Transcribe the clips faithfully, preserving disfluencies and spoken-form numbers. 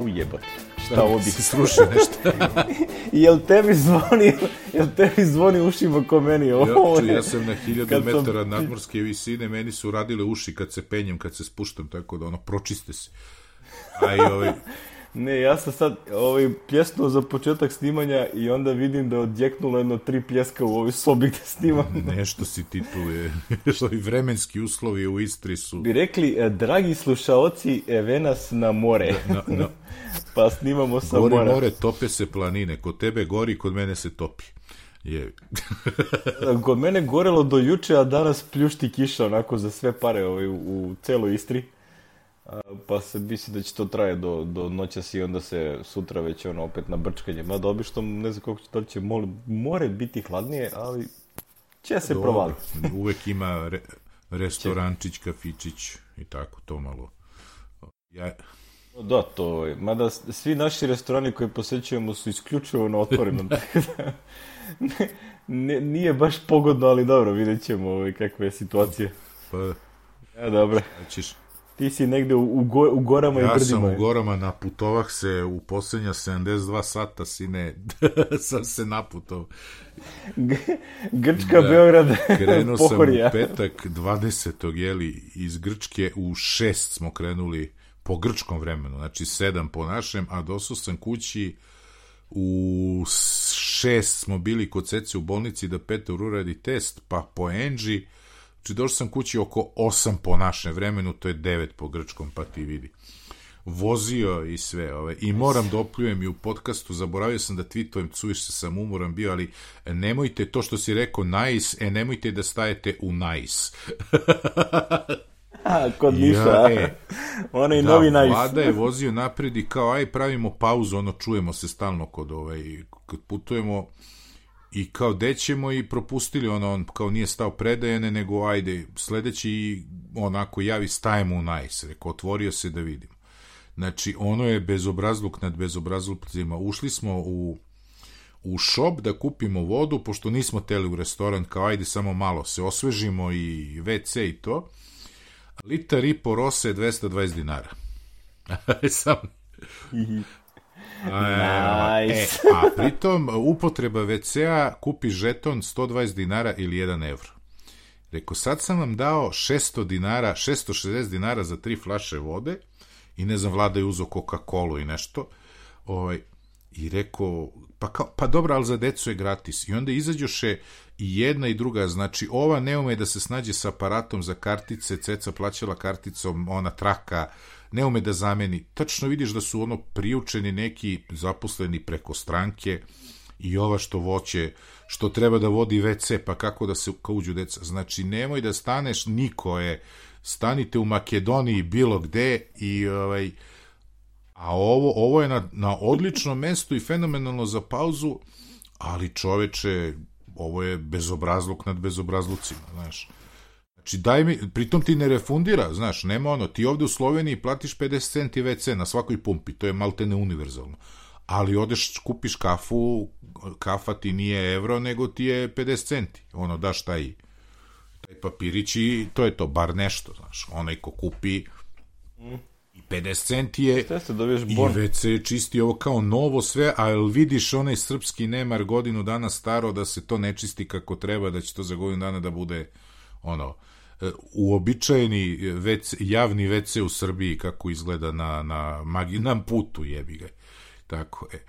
ujebote. Šta ovo bi se sruši nešto? Jel tebi zvoni, jel tebi zvoni ušima ko meni ovo? Ja, ja sam na hiljadu metara sam... nadmorske visine, meni su radile uši kad se penjem, kad se spuštam, tako da ono, pročiste se. A i ovaj... Ne, ja sam sad ovaj, pjesnuo za početak snimanja i onda vidim da je odjeknulo jedno tri pljeska u ovoj sobi gde snimam. Nešto si ti tu je. Ovi vremenski uslovi u Istri su... Bi rekli, dragi slušaoci, eve nas na more. Na, na... Pa snimamo sa gori mora. More, tope se planine. Kod tebe gori, kod mene se topi. Je. Kod mene gorelo do juče, a danas pljušti kiša onako za sve pare ovaj, u, u celoj Istri. Pa se misli da će to traje do, do noćas i onda se sutra već ono opet na brčkanje. Mada obično ne znam koliko će, da će more, more biti hladnije, ali će se provaliti. Uvek ima re, restorančić, kafičić i tako to malo. Ja... Da, to je. Mada svi naši restorani koje posećujemo su isključivo na otvorenom. ne, ne, nije baš pogodno, ali dobro, vidjet ćemo ovaj, kakva je situacija. Pa, ja, dobro. Ćeš... Ti si negde u, u, go, u gorama ja i brdima. Ja sam u gorama, naputovah se u posljednja sedamdeset dva sata, sine, sam se naputov. G Grčka, da, Beograd, krenuo Pohorja. sam u petak dvadesetog jeli, iz Grčke u šest smo krenuli po grčkom vremenu, znači sedam po našem, a došao sam kući u šest smo bili kod Cece u bolnici da Petar uradi test, pa po Enži, znači došao sam kući oko osam po našem vremenu, to je devet po grčkom, pa ti vidi. Vozio i sve, ove. I moram da opljujem i u podcastu, zaboravio sam da tweetujem, cuviš se, sam umoran bio, ali nemojte to što si rekao nice, e nemojte da stajete u nice. A, kod Niša, ja, e, onaj da, novi nice. Vlada je vozio napred i kao, aj pravimo pauzu, ono čujemo se stalno kod, ovaj, kod putujemo. I kao dećemo i propustili ono, on kao nije stao predajene, nego ajde, sledeći onako javi stajemo u nice, rekao, otvorio se da vidim. Znači, ono je bezobrazluk nad bezobrazlucima. Ušli smo u, u shop da kupimo vodu, pošto nismo teli u restoran, kao ajde samo malo se osvežimo i ve ce i to. Litar i po rose je dvesta dvadeset dinara. Sam... Nice. E, a pritom upotreba ve cea kupi žeton sto dvadeset dinara ili jedan evro. Rekao, sad sam vam dao šesto dinara, šesto šezdeset dinara za tri flaše vode i ne znam, Vlada je uzeo Coca-Colu i nešto. Ovaj, i rekao, pa, kao, pa dobro, ali za decu je gratis. I onda izađoše i jedna i druga, znači ova ne ume da se snađe sa aparatom za kartice, Ceca plaćala karticom, ona traka, ne ume da zameni. Tačno vidiš da su ono priučeni neki zaposleni preko stranke i ova što voće, što treba da vodi ve ce, pa kako da se kao uđu deca. Znači, nemoj da staneš, niko je, stanite u Makedoniji bilo gde i ovaj, a ovo, ovo je na, na odličnom mestu i fenomenalno za pauzu, ali čoveče, ovo je bezobrazluk nad bezobrazlucima, znaš. Znači, daj mi, pritom ti ne refundira, znaš, nema ono, ti ovde u Sloveniji platiš pedeset centi ve ce na svakoj pumpi, to je maltene univerzalno, ali odeš, kupiš kafu, kafa ti nije evro, nego ti je pedeset centi, ono, daš taj, taj papirić i to je to, bar nešto, znaš, onaj ko kupi i pedeset centi je i ve ce je čisti ovo kao novo sve, ali vidiš onaj srpski nemar godinu dana staro da se to ne čisti kako treba, da će to za godinu dana da bude ono, uobičajeni ve ce, javni ve ce u Srbiji kako izgleda na, na maginom putu, jebi ga. Tako je.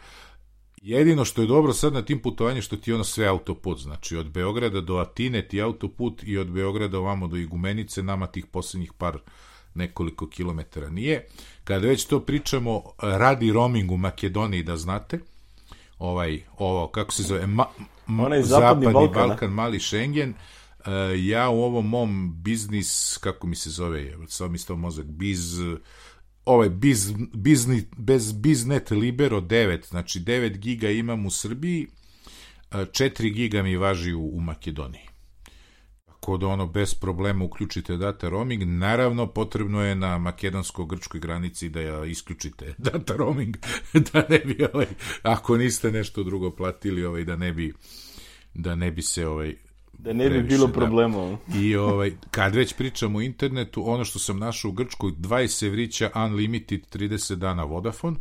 Jedino što je dobro sad na tim putovanjima što ti ono sve autoput, znači od Beograda do Atine ti autoput i od Beograda ovamo do Igumenice, nama tih posljednjih par nekoliko kilometara nije. Kada već to pričamo, radi roaming u Makedoniji, da znate, ovaj, ovo, kako se zove, ma, Onaj zapadni, zapadni Balkan, Balkan, mali Schengen, uh, ja u ovom mom biznis, kako mi se zove, samo mi stao mozak, biz, ovaj, biz, bizni, bez Biznet Libero devet, znači devet giga imam u Srbiji, četiri giga mi važi u, u Makedoniji. Tako da ono, bez problema uključite data roaming, naravno potrebno je na makedonsko-grčkoj granici da ja isključite data roaming, da ne bi, ovaj, ako niste nešto drugo platili, ovaj, da ne bi, da ne bi se, ovaj, da ne bi previše, bilo problema. Da. I ovaj, kad već pričamo o internetu, ono što sam našao u Grčkoj, dvadeset evrića unlimited trideset dana Vodafone,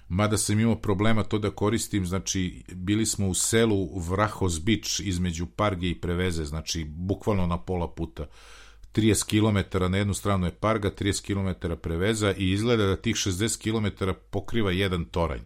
mada sam imao problema to da koristim, znači bili smo u selu Vrahos Bič između Parge i Preveze, znači bukvalno na pola puta. trideset kilometara na jednu stranu je Parga, trideset kilometara Preveza i izgleda da tih šezdeset kilometara pokriva jedan toranj.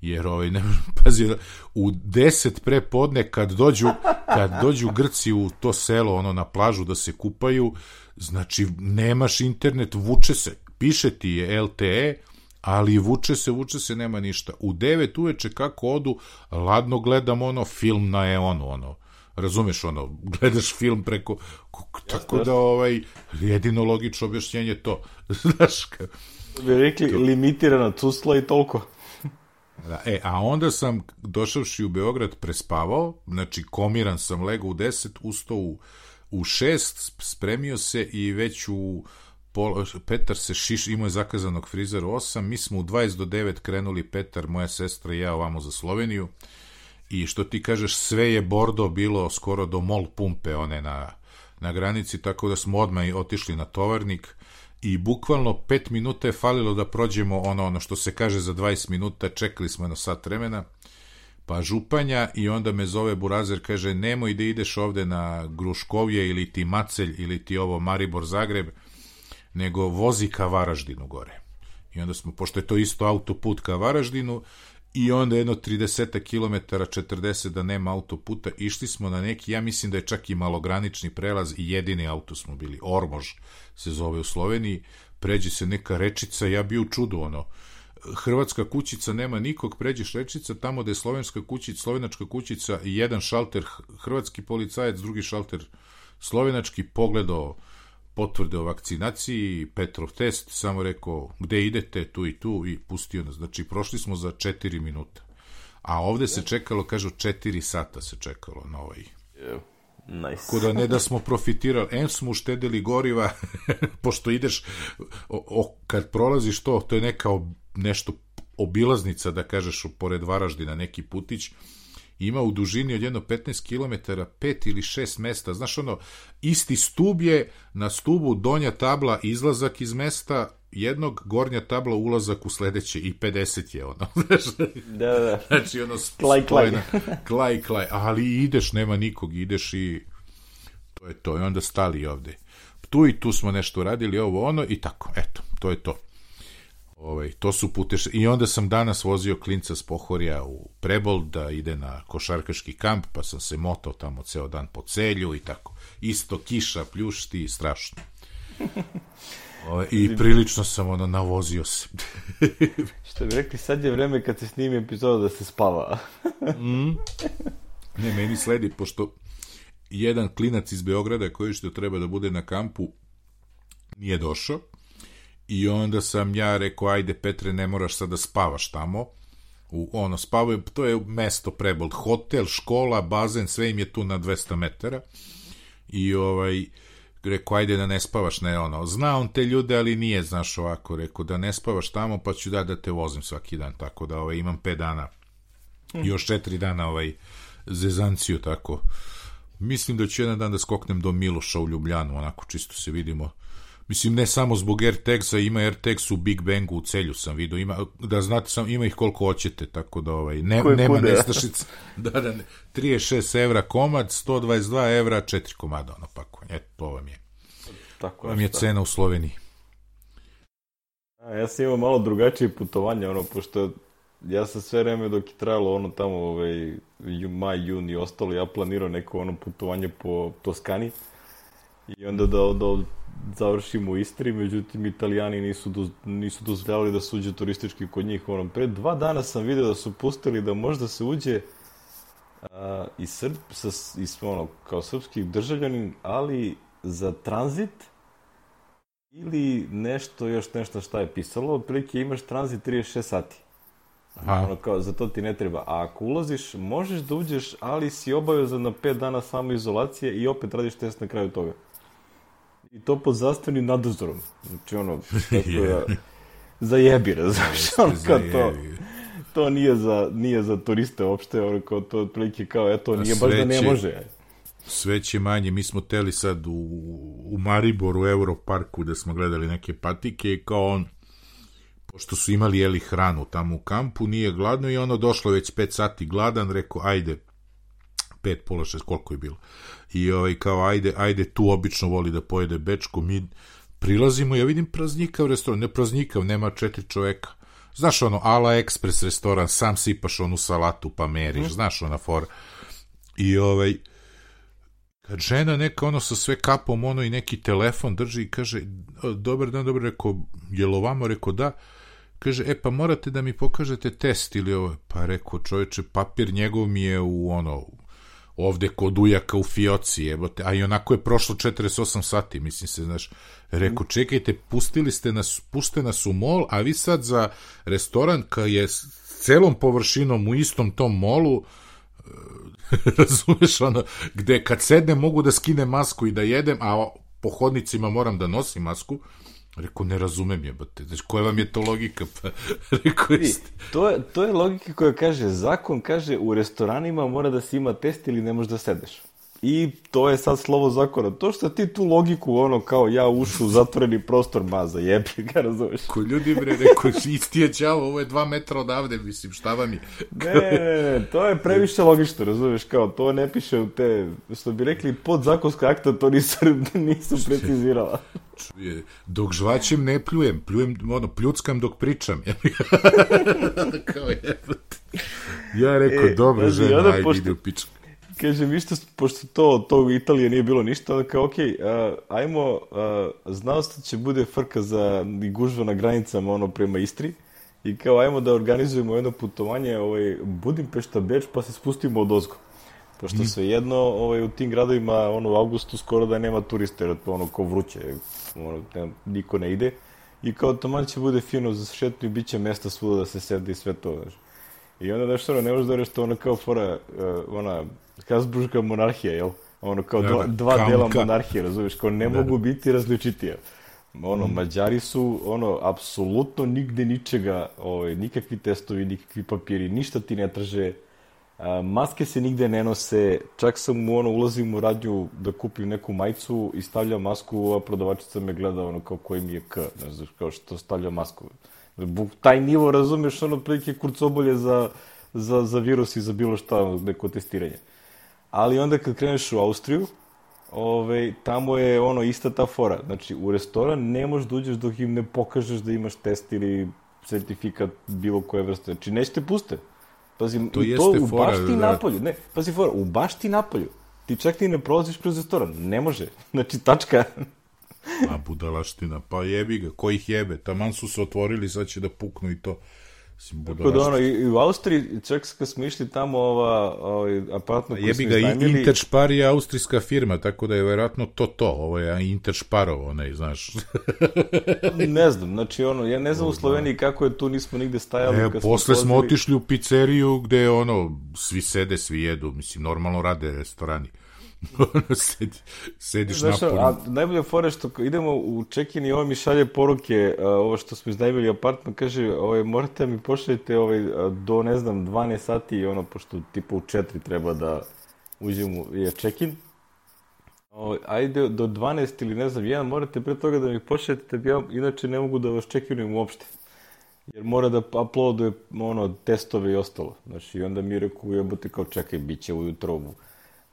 Jer ovaj, ne pazi, u deset pre podne kad dođu, kad dođu Grci u to selo, ono na plažu da se kupaju, znači nemaš internet, vuče se, piše ti je L T E, ali vuče se, vuče se, nema ništa. U devet uveče kako odu, ladno gledam ono film na Eonu, ono, razumeš, ono, gledaš film preko, tako da, ovaj, jedino logično objašnjenje to, znaš, ka... bi rekli, limitirana cusla i toliko. Da, e, a onda sam, došavši u Beograd, prespavao, znači komiran sam, legao u deset, ustao u, u šest, spremio se i već u pol, Petar se šiš, imao je zakazanog frizera u osam, mi smo u dvadeset do devet krenuli, Petar, moja sestra i ja ovamo za Sloveniju, i što ti kažeš, sve je bordo bilo skoro do mol pumpe, one na, na granici, tako da smo odmah otišli na tovarnik, i bukvalno pet minuta je falilo da prođemo ono, ono što se kaže za dvadeset minuta, čekali smo jedno sat vremena, pa Županja, i onda me zove Burazer, kaže, nemoj da ideš ovde na Gruškovje ili ti Macelj ili ti ovo Maribor Zagreb, nego vozi ka Varaždinu gore. I onda smo, pošto je to isto autoput ka Varaždinu, i onda jedno trideset kilometara, četrdeset da nema autoputa, išli smo na neki, ja mislim da je čak i malogranični prelaz i jedini auto smo bili, Ormož se zove u Sloveniji, pređe se neka rečica, ja bio u čudu, ono, hrvatska kućica, nema nikog, pređeš rečica, tamo da je slovenska kućica, slovenačka kućica, jedan šalter hrvatski policajac, drugi šalter slovenački, pogledao potvrde o vakcinaciji, Petrov test, samo rekao, gde idete, tu i tu, i pustio nas. Znači, prošli smo za četiri minuta. A ovde se čekalo, kažu, četiri sata se čekalo na ovaj. Yeah. Nice. Kuda ne da smo profitirali, em smo uštedili goriva, pošto ideš, o, o, kad prolaziš to, to je neka ob, nešto obilaznica, da kažeš, pored Varaždina, neki putić, ima u dužini od jedno petnaest kilometara, pet ili šest mesta, znaš ono, isti stub je, na stubu donja tabla izlazak iz mesta, jednog, gornja tabla ulazak u sledeće, i pedeset je ono, znaš, da, da. Znači ono, klaj, klaj. klaj, klaj, ali ideš, nema nikog, ideš i to je to, i onda stali ovde. Tu i tu smo nešto radili, ovo ono, i tako, eto, to je to. Ovaj, to su puteš... I onda sam danas vozio klinca s Pohorja u Prebold da ide na košarkaški kamp, pa sam se motao tamo ceo dan po Celju i tako. Isto kiša, pljušti, strašno. Ovaj, i prilično sam ono navozio se. Što bi rekli, sad je vreme kad se snimi epizoda da se spava. mm. Ne, meni sledi, pošto jedan klinac iz Beograda koji što treba da bude na kampu nije došao, i onda sam ja rekao, ajde Petre, ne moraš sad da spavaš tamo, u, ono, spavaju, to je mesto Prebold, hotel, škola, bazen, sve im je tu na dvesta metara, i ovaj, rekao, ajde da ne spavaš, ne, ono, zna on te ljude, ali nije, znaš, ovako, rekao, da ne spavaš tamo, pa ću da da te vozim svaki dan, tako da, ovaj, imam pet dana, hmm. još četiri dana, ovaj, zezanciju, tako, mislim da ću jedan dan da skoknem do Miloša u Ljubljanu, onako, čisto se vidimo. Mislim, ne samo zbog AirTagsa, ima AirTags u Big Bangu, u Celju sam vidio, ima, da znate, sam, ima ih koliko hoćete, tako da ovaj, ne, nema nestašica. Da, da, ne, trideset šest evra komad, sto dvadeset dva evra, četiri komada, ono pakovanje, eto, to vam je. Tako vam je šta. Cena u Sloveniji. A, ja sam imao malo drugačije putovanje, ono, pošto ja sam sve vreme dok je trajalo ono tamo, ovaj, maj, jun i ostalo, ja planirao neko ono putovanje po Toskani, i onda da, da završimo u Istri, međutim Italijani nisu, do, nisu dozvoljavali da se uđe turistički kod njih. Ono, pre dva dana sam vidio da su pustili da možda se uđe a, i Srb, sa, i, ono, kao srpski državljanin, ali za tranzit ili nešto, još nešto šta je pisalo, otprilike imaš tranzit trideset šest sati. Aha. Ono, kao, za to ti ne treba. A ako ulaziš, možeš da uđeš, ali si obavezan na pet dana samoizolacije i opet radiš test na kraju toga. I to pod zdravstvenim nadzorom. Znači, ono, tako da, zajebi, razumiješ, ono, kao to, to nije za, nije za turiste uopšte, ono, kao to otprilike kao, eto, nije baš da ne može. Sve će manje, mi smo teli sad u, u Mariboru, u Europarku, da smo gledali neke patike, i kao on, pošto su imali jeli hranu tamo u kampu, nije gladno i ono došlo već pet sati gladan, rekao ajde, pet, pola šest, koliko je bilo. I ovaj, kao ajde, ajde, tu obično voli da pojede bečko, mi prilazimo, ja vidim praznikav restoran, ne praznikav, nema četiri čoveka. Znaš ono, Ala Express restoran, sam sipaš onu salatu pa meriš, mm. znaš ona fora. I ovaj, kad žena neka ono sa sve kapom, ono i neki telefon drži i kaže, dobar dan, dobro, rekao, jel ovamo, rekao da, kaže, e pa morate da mi pokažete test ili ovo, pa rekao, čoveče, papir njegov mi je u ono, ovde kod ujaka u fioci, jebote, a i onako je prošlo četrdeset osam sati, mislim se, znaš, rekao, čekajte, pustili ste nas, puste nas u mol, a vi sad za restoran koji je s celom površinom u istom tom molu, razumeš, ono, gde kad sednem mogu da skinem masku i da jedem, a po hodnicima moram da nosim masku. Rekao, ne razumem jebate, znači koja vam je to logika? Pa, rekao, jeste. To je, to je logika koja kaže, zakon kaže u restoranima mora da se ima test ili ne možeš da sedeš. I to je sad slovo zakona. To što ti tu logiku, ono, kao ja ušu u zatvoreni prostor, maza, jebi ga, razumeš? Ko ljudi, bre, rekao, isti je đavo, ovo je dva metra odavde, mislim, šta vam je? Ne, ne, ne, to je previše logično, razumeš, kao, to ne piše u te, što bi rekli, podzakonska akta, to nisu, nisu precizirala. Dok žvaćem ne pljujem, pljujem, ono, pljuckam dok pričam. Kao jebate. Ja rekao, e, dobro, žena, ajde, pošto... ide u pičku. Kaže, vi što, pošto to, to u Italije nije bilo ništa, onda kao, okej, okay, uh, ajmo, uh, znao ste će bude frka za gužva na granicama, ono, prema Istri, i kao, ajmo da organizujemo jedno putovanje, ovaj, Budimpešta, Beč, pa se spustimo od ozgo. Pošto mm. sve jedno, ovaj, u tim gradovima, ono, u avgustu skoro da nema turiste, jer to ono, ko vruće, ono, ne, niko ne ide, i kao, taman će bude fino za šetnu i bit će mesta svuda da se sedi i sve to, znaš. I onda nešto, ono, ne možeš da reći to ono kao fora, uh, ona, Habsburška monarhija, jel? Ono, kao dva, dva dela monarhije, razumiješ, kao ne mogu biti različitije. Ono, mm. Mađari su, ono, apsolutno nigde ničega, ovaj, nikakvi testovi, nikakvi papiri, ništa ti ne traže, a, maske se nigde ne nose, čak sam u, ono, ulazim u radnju da kupim neku majicu i stavljam masku, a prodavačica me gleda, ono, kao koji mi je K, ne znaš, kao što stavlja masku. Taj nivo, razumiješ, ono, prilike kurcobolje za, za, za virus i za bilo šta, neko testiranje. Ali onda kad kreneš u Austriju, ovaj, tamo je ono ista ta fora. Znači, u restoran ne možeš da uđeš dok im ne pokažeš da imaš test ili sertifikat bilo koje vrste. Znači, neće te puste. Pazi, to, to u fora, bašti da. napolju. Ne, pazi fora, u bašti napolju. Ti čak ti ne prolaziš kroz restoran. Ne može. Znači, tačka. A budalaština, pa jebi ga, ko ih jebe? Taman su se otvorili, sad će da puknu i to. Tako da ono, i u Austriji, čak kad smo išli tamo, ova, ovaj apartman koji smo iznajmili... Jebi ga, Interspar je austrijska firma, tako da je vjerojatno to to, ovo je Intersparov, onaj, znaš. Ne znam, znači ono, ja ne znam u Sloveniji kako je tu, nismo nigde stajali. E, posle smo, smo otišli u pizzeriju gde ono, svi sede, svi jedu, mislim, normalno rade restorani. Sedi, sediš znaš, napolju. A najbolje fore što idemo u check-in i ovo mi šalje poruke, uh, ovo što smo iznajmili apartman, kaže, ovaj, morate mi pošaljete ovaj, do, ne znam, dvanaest sati, ono, pošto tipa u četiri treba da uđemo, je check-in. Ovaj, ajde, do dvanaest ili ne znam, jedan, morate pre toga da mi pošaljete, da ja inače ne mogu da vas check-inujem uopšte. Jer mora da uploaduje, ono, testove i ostalo. Znači, i onda mi je rekao, jebote, kao čekaj, bit će ujutro ovu.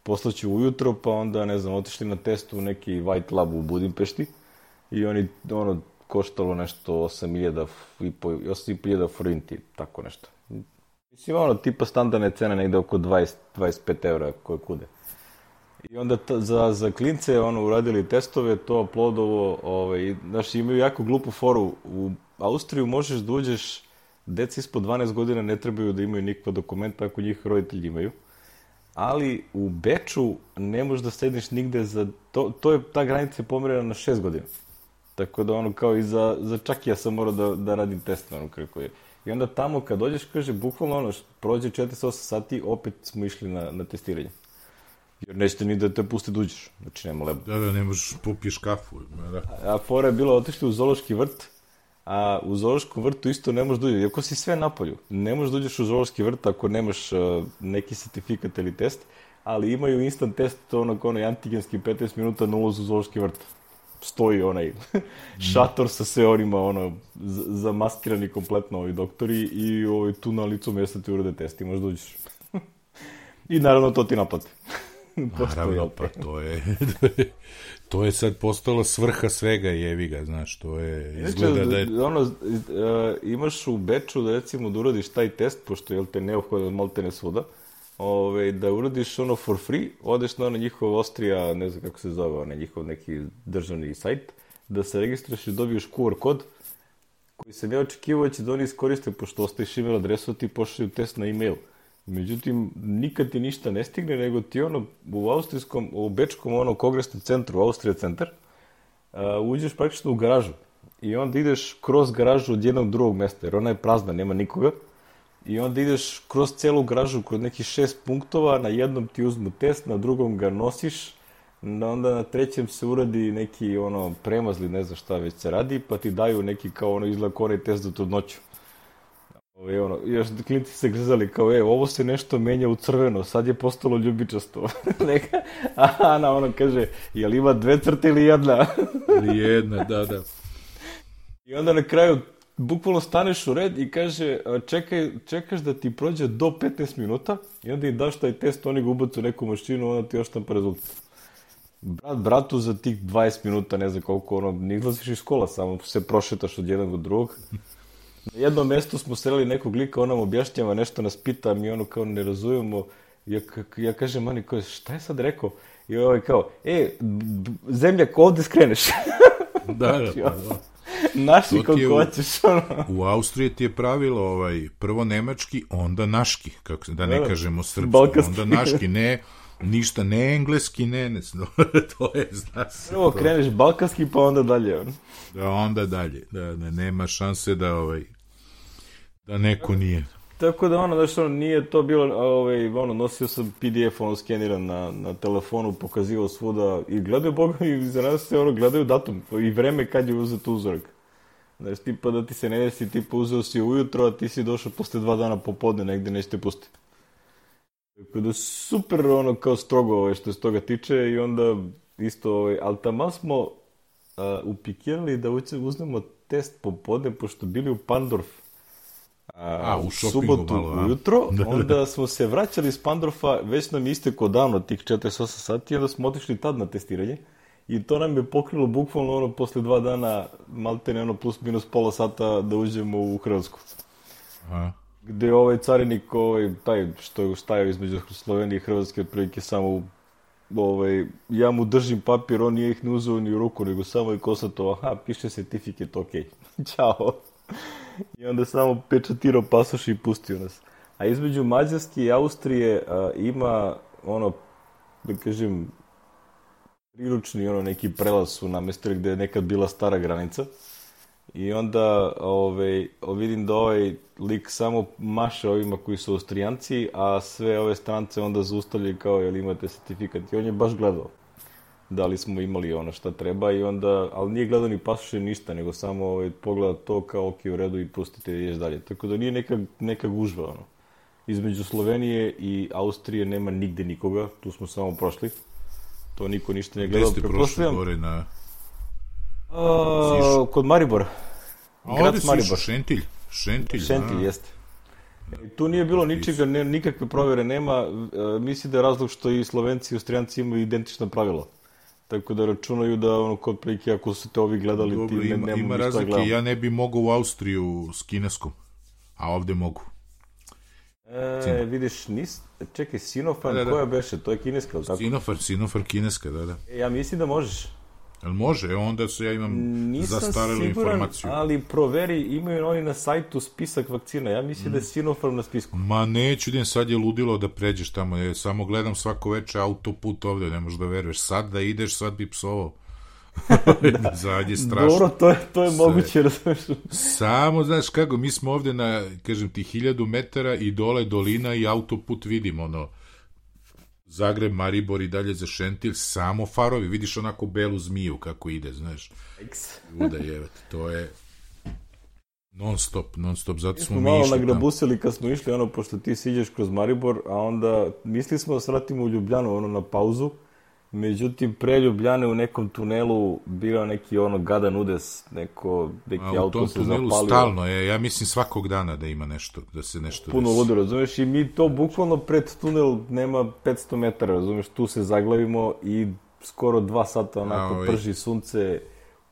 Poslaću ujutro, pa onda, ne znam, otišli na testu u neki White Lab u Budimpešti i oni, ono, koštalo nešto osam hiljada i po hiljada forinti, tako nešto. Mislim, ono, tipa standardne cene negde oko dvadeset do dvadeset pet evra koje kude. I onda ta, za, za klince, ono, uradili testove, to uploadovo, ovaj, znaš, imaju jako glupu foru. U Austriju možeš da uđeš, deca ispod dvanaest godina ne trebaju da imaju nikakva dokumenta ako njih roditelji imaju. Ali u Beču ne možeš da sediš nigde za... To, to je, ta granica je pomerena na šest godina. Tako da ono kao i za, za čak ja sam morao da, da radim test, ono kako je. I onda tamo kad dođeš, kaže, bukvalno ono, prođe četrdeset osam sati, opet smo išli na, na testiranje. Jer nećete ni da te pusti da uđeš. Znači, nema lebo. Da, da, ne možeš popiješ kafu. Da. A, a fora je bila, otišli u zoološki vrt, a u zoološkom vrtu isto ne možeš da uđeš. Iako si sve napolju, ne možeš da uđeš u zoološki vrt ako nemaš uh, neki sertifikat ili test, ali imaju instant test, onog, onaj antigenski petnaest minuta na ulazu u zoološki vrt. stoji onaj šator sa sve onima, ono, zamaskirani kompletno ovi doktori i ovaj, tu na licu mjesta ti urade test i možda uđeš. I naravno to ti naplati. Naravno, pa to je, to je sad postalo svrha svega, jevi ga, znaš, to je, izgleda da je... Ono, imaš u Beču da recimo da uradiš taj test, pošto je te neophodan malte ne svuda, ove, da uradiš ono for free, odeš na ono njihov Austrija, ne znam kako se zove, ono njihov neki državni sajt, da se registruješ i dobiješ Q R kod, koji sam ja očekivao će da oni iskoriste, pošto ostaviš email adresu, ti pošalju test na email. Međutim, nikad ti ništa ne stigne, nego ti ono u austrijskom, u bečkom ono kongresnom centru, Austrija centar, uh, uđeš praktično u garažu i onda ideš kroz garažu od jednog drugog mesta, jer ona je prazna, nema nikoga, i onda ideš kroz celu garažu, kroz nekih šest punktova, na jednom ti uzmu test, na drugom ga nosiš, onda na trećem se uradi neki ono premazli, ne znam šta već se radi, pa ti daju neki kao ono izgleda kao onaj test za trudnoću. Ove, ono, još klinci se grzali kao, e, ovo se nešto menja u crveno, sad je postalo ljubičasto. Neka, a Ana ono kaže, jel ima dve crte ili jedna? Ili jedna, da, da. I onda na kraju bukvalno staneš u red i kaže, čekaj, čekaš da ti prođe do petnaest minuta i onda im daš taj test, oni ga ubacu u neku mašinu, onda ti još tam rezultat. Brat, bratu za tih dvadeset minuta, ne znam koliko, ono, ne izlaziš iz škola, samo se prošetaš od jednog do drugog. Na jednom mjestu smo sreli nekog lika, on nam objašnjava nešto, nas pita, mi ono kao ne razumemo. Ja, ja kažem, mani, ko, šta je sad rekao? I ovaj kao, e, zemljak, ovdje skreneš. Da, da, pa, da. Naši koliko hoćeš. Ono. U Austriji ti je pravilo ovaj, prvo nemački, onda naški, kako se, da ne da, kažemo srpski, balkanski. Onda naški, ne, ništa, ne engleski, ne, ne, to je, zna se. Prvo to. Kreneš balkanski, pa onda dalje. On. Da, onda dalje, da, da nema šanse da, ovaj, da neko nije. Tako da ono, znaš, ono, nije to bilo, ovaj, ono, nosio sam P D F, ono, skeniran na, na telefonu, pokazivao svuda i gledaju, boga mi, za nas se, ono, gledaju datum i vreme kad je uzet uzorak. Znaš, tipa da ti se ne desi, tipa uzeo si ujutro, a ti si došao posle dva dana popodne, negde nećete pustiti. Tako da super, ono, kao strogo, ovaj, što se toga tiče i onda isto, ovaj, ali tamo smo uh, upikirali da uzmemo test popodne, pošto bili u Pandorf. A, a, u, u subotu malo, ujutro, onda smo se vraćali iz Pandorfa, već nam je istekao davno tih četrdeset osam sati, onda smo otišli tad na testiranje i to nam je pokrilo bukvalno ono posle dva dana, malte ne ono plus minus pola sata da uđemo u Hrvatsku. Aha. Gde ovaj carinik, ovaj, taj što je stajao između Slovenije i Hrvatske, otprilike samo, ovaj, ja mu držim papir, on nije ih ne uzeo ni u ruku, nego samo je konstatovao, aha, piše certifikat, okej, okay. Ćao. I onda samo pečatirao pasoš i pustio nas. A između Mađarske i Austrije a, ima, ono, da kažem, priručni ono, neki prelaz su namestili gde je nekad bila stara granica. I onda ovaj, vidim da ovaj lik samo maše ovima koji su Austrijanci, a sve ove strance onda zaustavljaju kao, jel imate certifikat. I on je baš gledao da li smo imali ono šta treba i onda, ali nije gledao ni pasoše ništa, nego samo ovaj, pogleda to kao ok, u redu i pustite i ideš dalje. Tako da nije neka, neka gužva, ono. Između Slovenije i Austrije nema nigde nikoga, tu smo samo prošli. To niko ništa ne gledao. Gde ste prošli gore na... A, kod Maribora. A ovdje si išao, Šentilj. Šentilj, Šentilj, jeste. E, tu nije bilo ničega, ne, nikakve provjere nema. E, misli da je razlog što i Slovenci i Austrijanci imaju identično pravilo. Tako da računaju da ono kod prilike ako su te ovi gledali dobro, ti ne, ima, ne ima razlike, ja ne bi mogao u Austriju s kineskom, a ovdje mogu. E, vidiš, nis, čekaj, Sinopharm, da, da, da. Koja beše, to je kineska, tako? Sinopharm, Sinopharm kineska, da, da. E, ja mislim da možeš. Jel može? Onda se ja imam Nisam zastarelu siguran, informaciju. Ali proveri, imaju oni na sajtu spisak vakcina. Ja mislim mm. da je Sinopharm na spisku. Ma neću, idem, sad je ludilo da pređeš tamo. Ja samo gledam svako veče autoput ovdje, ne možeš da veruješ. Sad da ideš, sad bi psovao. Da. Zadnje strašno. Dobro, to je, to je moguće, razumiješ. Samo, znaš kako, mi smo ovdje na, kažem ti, hiljadu metara i dole dolina i autoput vidimo, ono, Zagreb, Maribor i dalje za Šentilj, samo farovi, vidiš onako belu zmiju kako ide, znaš. Luda jevati, to je non stop, non stop, zato smo mi, smo mi malo išli nagrabusili kad smo išli, ono, pošto ti siđeš kroz Maribor, a onda mislili smo da se vratimo u Ljubljanu, ono, na pauzu, Međutim, pre Ljubljane u nekom tunelu bio neki ono gadan udes, neko, neki A u auto tom se tunelu zapalio. stalno je, ja mislim svakog dana da ima nešto, da se nešto Puno desi. ludo, razumeš, i mi to bukvalno pred tunel nema petsto metara, razumeš, tu se zaglavimo i skoro dva sata onako A, ovaj. prži sunce,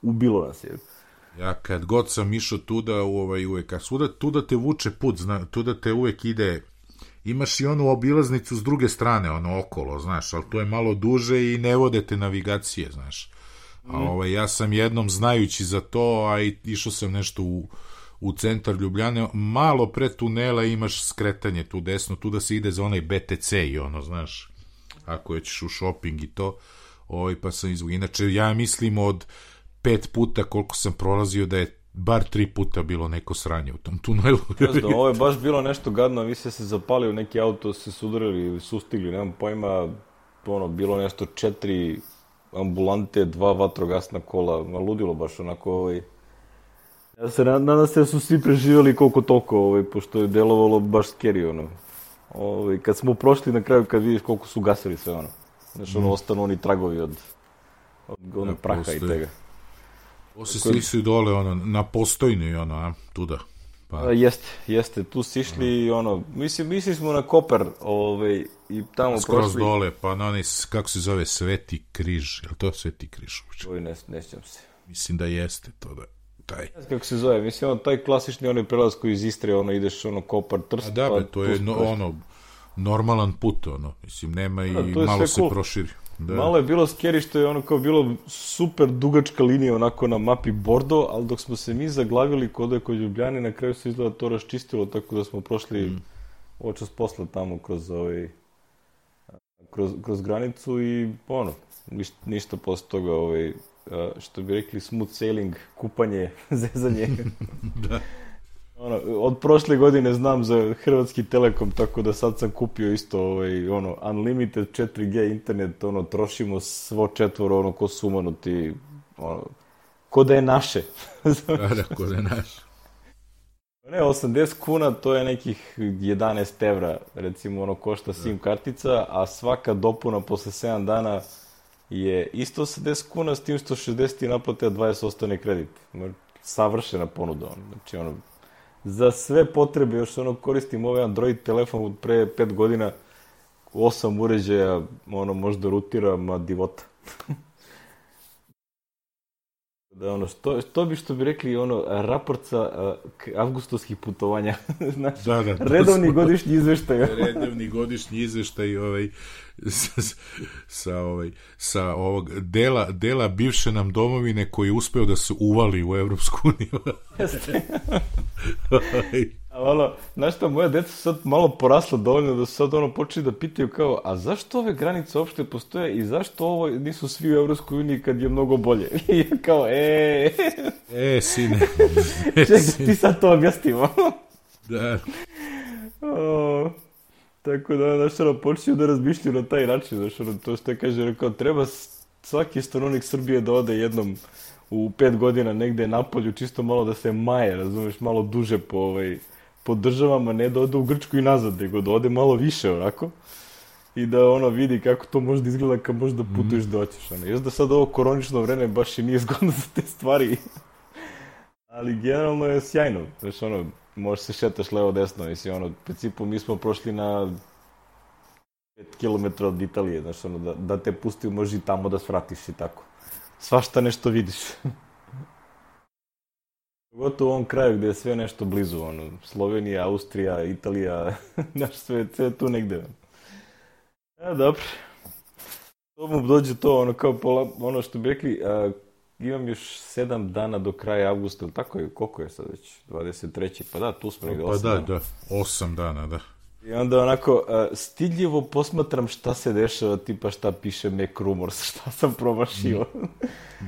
ubilo nas je. Ja kad god sam išao tuda, u ovaj, uvek, a svuda, tuda te vuče put, zna, tuda te uvek ide, imaš i onu obilaznicu s druge strane, ono okolo, znaš, ali to je malo duže i ne vode te navigacije, znaš. A ovaj, ja sam jednom znajući za to, a i išao sam nešto u, u centar Ljubljane, malo pre tunela imaš skretanje tu desno, tu da se ide za onaj B T C i ono, znaš, ako ćeš u shopping i to, ovaj, pa sam izvuk. Inače, ja mislim od pet puta koliko sam prolazio da je bar tri puta bilo neko sranje u tom tunelu. Znaš, ovo je baš bilo nešto gadno, vi ste se zapalio, neki auto se sudarili ili sustigli, nemam pojma, ono, bilo nešto četiri ambulante, dva vatrogasna kola, ma ludilo baš onako, ovaj. Ja se nadam se da su svi preživjeli koliko toliko, ovaj, pošto je delovalo baš scary, ono. Ovaj, kad smo prošli na kraju, kad vidiš koliko su gasili sve, ono. Znaš, ono, ostanu oni tragovi od, od onog Da, praha postoji. i tega. Osi svi su i dole, ono, na postojni, ono, a, tuda. Pa, A, jeste, jeste, tu si išli i ono, mislim, mislili smo na Koper, ovaj, i tamo skroz prošli. dole, pa na onaj, kako se zove, Sveti križ, je li to Sveti križ? Oj, ne, ne sjećam se. Mislim da jeste to, da, taj. Ne znam kako se zove, mislim, ono, taj klasični onaj prelaz koji iz Istre, ono, ideš, ono, Kopar, Trst, A da, pa be, to je tu no, prošli. ono, normalan put, ono, mislim, nema i Da, to je malo sve se cool. proširi. Da. Malo je bilo scary što je ono kao bilo super dugačka linija onako na mapi Bordo, ali dok smo se mi zaglavili kod je kod Ljubljane, na kraju se izgleda to raščistilo, tako da smo prošli mm. očas posla tamo kroz ovaj kroz, kroz granicu i ono, ništa, ništa posle toga ovaj, što bi rekli smooth sailing, kupanje, zezanje. Da. Ono, od prošle godine znam za Hrvatski Telekom, tako da sad sam kupio isto ovaj, ono, unlimited četiri G internet, ono, trošimo svo četvoro, ono, ko sumanuti, ono, ko da je naše. Da, da, ko da je naš. Ne, osamdeset kuna, to je nekih jedanaest evra, recimo, ono, košta SIM kartica, a svaka dopuna posle sedam dana je isto osamdeset kuna, s tim što šezdeset i naplate, a dvadeset ostane kredit. Savršena ponuda, ono, znači, ono, za sve potrebe, još ono koristim ovaj Android telefon od pre pet godina, osam uređaja, ono, možda rutira, ma divota. Da, ono, što, što bi, što bi rekli, ono, raport sa uh, avgustovskih putovanja, znači, Da, da, redovni godišnji izveštaj. redovni godišnji izveštaj ovaj, sa, sa, ovaj, sa ovog dela, dela bivše nam domovine koji je uspeo da se uvali u Evropsku uniju. Jeste. A ono, znaš šta, moja deca su sad malo porasla dovoljno da su sad ono počeli da pitaju kao, a zašto ove granice uopšte postoje i zašto ovo nisu svi u Evropskoj uniji kad je mnogo bolje? I ja kao, e, E, sine. čekaj, ti sad to objasnimo. Da. O, tako da, znaš, ono, počinju da razmišljaju na taj način, znaš, ono, to što je kaže, rekao, treba svaki stanovnik Srbije da ode jednom u pet godina negde napolju, čisto malo da se maje, razumeš, malo duže po, ovaj, po državama, ne da ode u Grčku i nazad, nego da ode malo više, onako, i da ono vidi kako to može da izgleda kad možda putuješ da hoćeš, ono. Još da sad ovo koronično vreme baš i nije zgodno za te stvari, ali generalno je sjajno, znaš, ono, možeš se šetaš levo desno, mislim, ono, u principu mi smo prošli na pet kilometara od Italije, znaš, ono, da, da te pusti, može i tamo da svratiš i tako. Svašta nešto vidiš. Pogotovo u ovom kraju gde je sve nešto blizu, ono, Slovenija, Austrija, Italija, znaš, sve, sve tu negde. E, dobro. To mu dođe to, ono, kao pola, ono što bi rekli, a, imam još sedam dana do kraja avgusta, ili tako je, koliko je sad već, dvadeset treći pa da, tu smo negde Pa osam da, dana. da, osam dana, da. I onda onako, a, stidljivo posmatram šta se dešava, tipa šta piše Mac Rumors, šta sam promašio.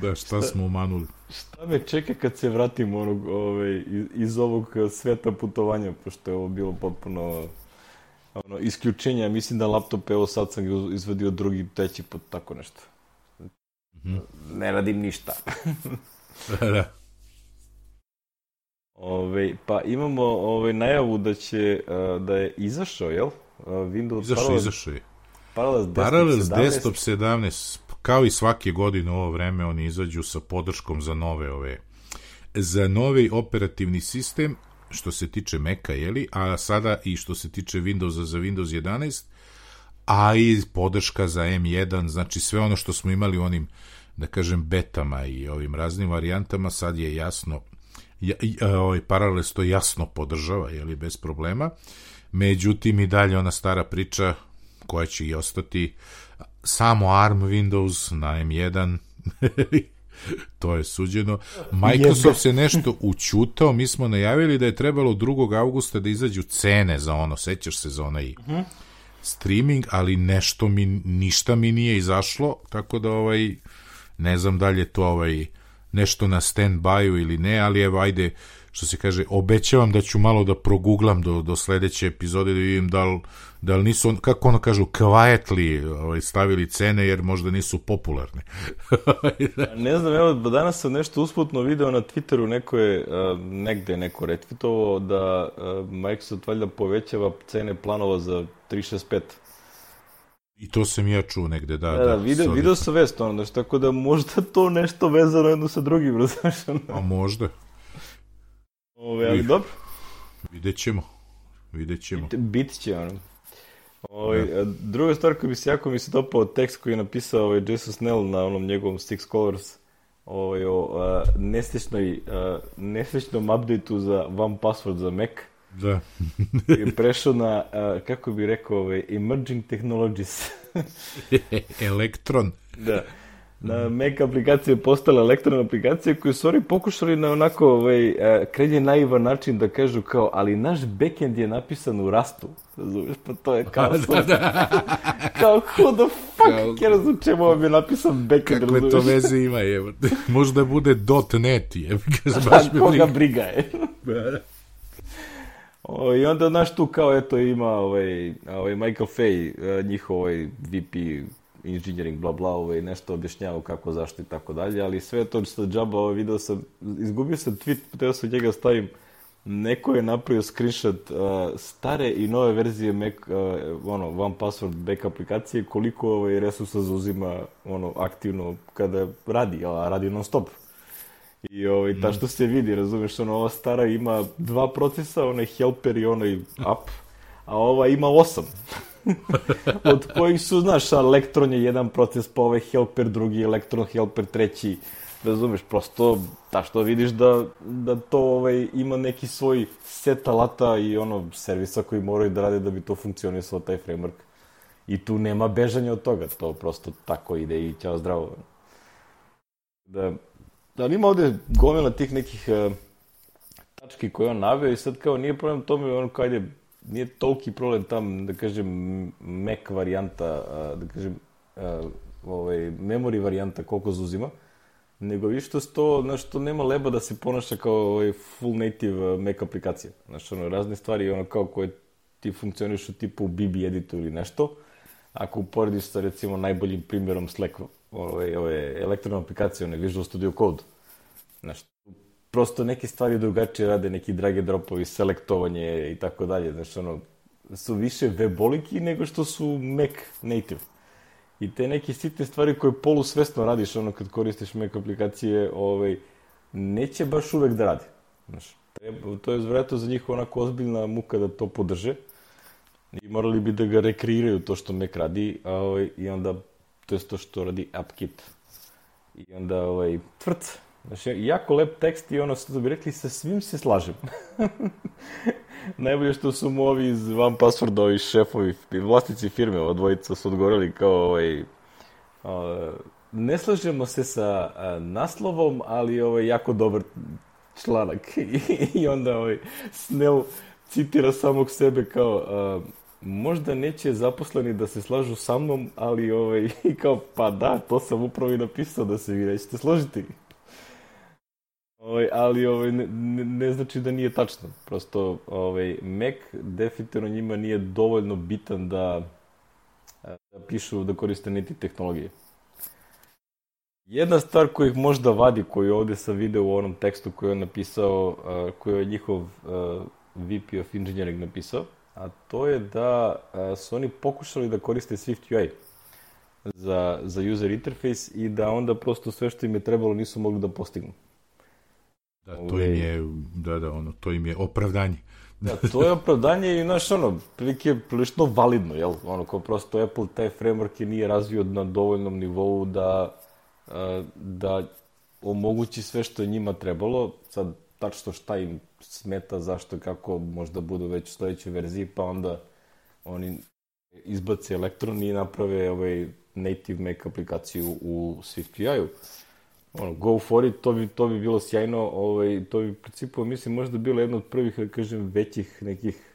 Da, šta smo umanuli. Šta me čeka kad se vratim onog, ovaj, iz, iz ovog sveta putovanja, pošto je ovo bilo potpuno ono, isključenja. Mislim da laptop, evo sad sam ga izvadio drugi, treći put, tako nešto. Mm-hmm. Ne radim ništa. Da, da. Ove, pa imamo ove, najavu da će, uh, da je izašao, jel? Uh, Windows Izašao, parallel, izašao je. Parallels Desktop Parallels sedamnaest. Desktop sedamnaest, kao i svake godine u ovo vreme, oni izađu sa podrškom za nove ove, za novi operativni sistem, što se tiče Maca, jeli, a sada i što se tiče Windowsa za Windows jedanaest, a i podrška za em jedan, znači sve ono što smo imali u onim, da kažem, betama i ovim raznim varijantama, sad je jasno, ja, ovaj Parallels to jasno podržava, jeli, bez problema. Međutim, i dalje ona stara priča koja će i ostati, samo A R M Windows na em jedan, to je suđeno. Microsoft se nešto učutao, mi smo najavili da je trebalo drugog avgusta da izađu cene za ono, sećaš se za onaj uh-huh. streaming, ali nešto mi, ništa mi nije izašlo, tako da ovaj, ne znam da li je to ovaj, nešto na stand-by-u ili ne, ali evo, ajde, što se kaže, obećavam da ću malo da proguglam do, do sledeće epizode, da vidim da li, da li nisu, kako ono kažu, quietly ovaj, stavili cene, jer možda nisu popularne. Ne znam, evo, danas sam nešto usputno video na Twitteru, neko je, uh, negde neko retweetovao da uh, Microsoft valjda povećava cene planova za tri šest pet. I to sam ja čuo negde, da. Da, da, video, video sam vest, ono, znači, tako da možda to nešto vezano jedno sa drugim, razumiješ? A možda. Ove, ali dobro. Vidjet ćemo. Vidjet ćemo. Bit, bit će, ono. Ove, druga stvar koja bi se jako mi se dopao tekst koji je napisao ovaj Jason Snell na onom njegovom Six Colors ovaj, o uh, nesrećnoj, uh, nesrećnom updateu za One Password za Mac. Da. I prešao na, uh, kako bi rekao, ovaj, Emerging Technologies. Elektron. Da. Na Mac aplikacije postale elektron aplikacije koje su oni pokušali na onako ovaj, krajnje naivan način da kažu kao, ali naš backend je napisan u Rustu. Razumiješ, pa to je kao da, da. Kao, who the fuck, ja razum čemu vam je napisan backend, kakve razumiješ? to veze ima, je. Možda bude .net, je. Baš me koga briga je. O, i onda, znaš, tu kao, eto, ima ovaj, ovaj Michael Fay, njihov ovaj V P engineering, bla bla, ovaj, nešto objašnjavao kako, zašto i tako dalje, ali sve to što džaba, ovaj, video sam, izgubio sam tweet, teo sam njega stavim, neko je napravio screenshot uh, stare i nove verzije Mac, uh, ono, One Password back aplikacije, koliko ovaj, resursa zauzima ono, aktivno kada radi, a radi non stop. I ovaj, ta što se vidi, razumeš, ono, ova stara ima dva procesa, onaj helper i onaj up, a ova ima osam. Od kojih su, znaš, elektron je jedan proces, pa ovaj helper drugi, elektron helper treći, razumeš, prosto, ta što vidiš da, da to ovaj, ima neki svoj set alata i ono, servisa koji moraju da rade da bi to funkcionisalo, taj framework. I tu nema bežanja od toga, to prosto tako ide i ćao zdravo. Da, da ima ovde gomila tih nekih uh, tački koje on naveo i sad kao nije problem tome, ono kao ide, nije toliki problem tam, da kažem, Mac varijanta, da kažem, ovaj, memory varijanta koliko zauzima, nego više što to, znaš, to nema leba da se ponaša kao ovaj full native Mac aplikacija. Znaš, ono, razne stvari, ono, kao koje ti funkcioniš u tipu B B editu ili nešto, ako uporediš sa, recimo, najboljim primjerom Slack, ove, ove elektronne aplikacije, one Visual Studio Code, znaš, prosto neke stvari drugačije rade, neki drag and dropovi, selektovanje i tako dalje, znači ono, su više weboliki nego što su Mac native. I te neke sitne stvari koje polusvesno radiš, ono, kad koristiš Mac aplikacije, ovaj, neće baš uvek da radi. Znači, treba, to je vjerojatno za njih onako ozbiljna muka da to podrže i morali bi da ga rekreiraju to što Mac radi, a, ovaj, i onda, to je to što radi AppKit. I onda, ovaj, tvrc. Znači, jako lep tekst i ono što bi rekli, sa svim se slažem. Najbolje što su mu ovi iz One Password, ovi šefovi, vlasnici firme, ova dvojica su odgovorili kao ovaj, uh, ne slažemo se sa uh, naslovom, ali ovaj, jako dobar članak. I, i onda ovaj, Snell citira samog sebe kao uh, možda neće zaposleni da se slažu sa mnom, ali ovaj, kao pa da, to sam upravo i napisao da se vi nećete složiti. Ovaj, ali ovaj, ne, ne znači da nije tačno. Prosto ovaj, Mac definitivno njima nije dovoljno bitan da, da pišu, da koriste niti tehnologije. Jedna stvar koju ih možda vadi, koju ovdje sam video u onom tekstu koji je on napisao, uh, koji je njihov uh, V P of Engineering napisao, a to je da a, su oni pokušali da koriste SwiftUI za, za user interface i da onda prosto sve što im je trebalo nisu mogli da postignu. Da, to im je, da, da, ono, to im je opravdanje. Da, to je opravdanje i, znaš, ono, prilike je prilično validno, jel? Ono, kao prosto Apple taj framework je nije razvio na dovoljnom nivou da, da omogući sve što je njima trebalo. Sad, tačno šta im smeta, zašto, kako možda budu već u sledećoj verziji, pa onda oni izbace Electron i naprave ovaj native Mac aplikaciju u SwiftUI-u. Ono, go for it, to bi, to bi bilo sjajno, ovaj, to bi u principu, mislim, možda bilo jedna od prvih, da kažem, većih nekih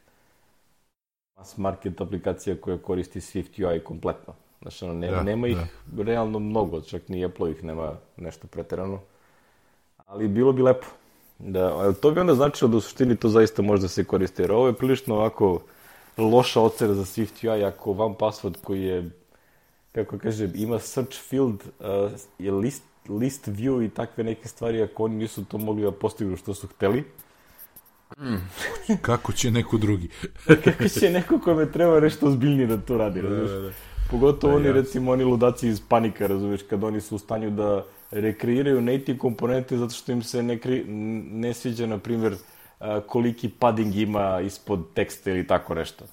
mass market aplikacija koja koristi SwiftUI kompletno. Znači, ono, ne, da, nema ih da. realno mnogo, čak ni Apple ih nema nešto preterano, ali bilo bi lepo. Da, to bi onda značilo da u suštini to zaista može da se koristi, jer ovo je prilično ovako loša ocena za SwiftUI ako one password koji je, kako kažem, ima search field, uh, je list list view i takve neke stvari, ako oni nisu to mogli da postignu što su hteli. Mm. Kako će neko drugi? Kako će neko kome treba nešto ozbiljnije da to radi, razumiješ? Da, da, da. Pogotovo da, oni, ja. recimo, oni ludaci iz Panika, razumiješ, kad oni su u stanju da rekreiraju native komponente zato što im se ne, kri, ne sviđa, na primjer, koliki padding ima ispod teksta ili tako nešto.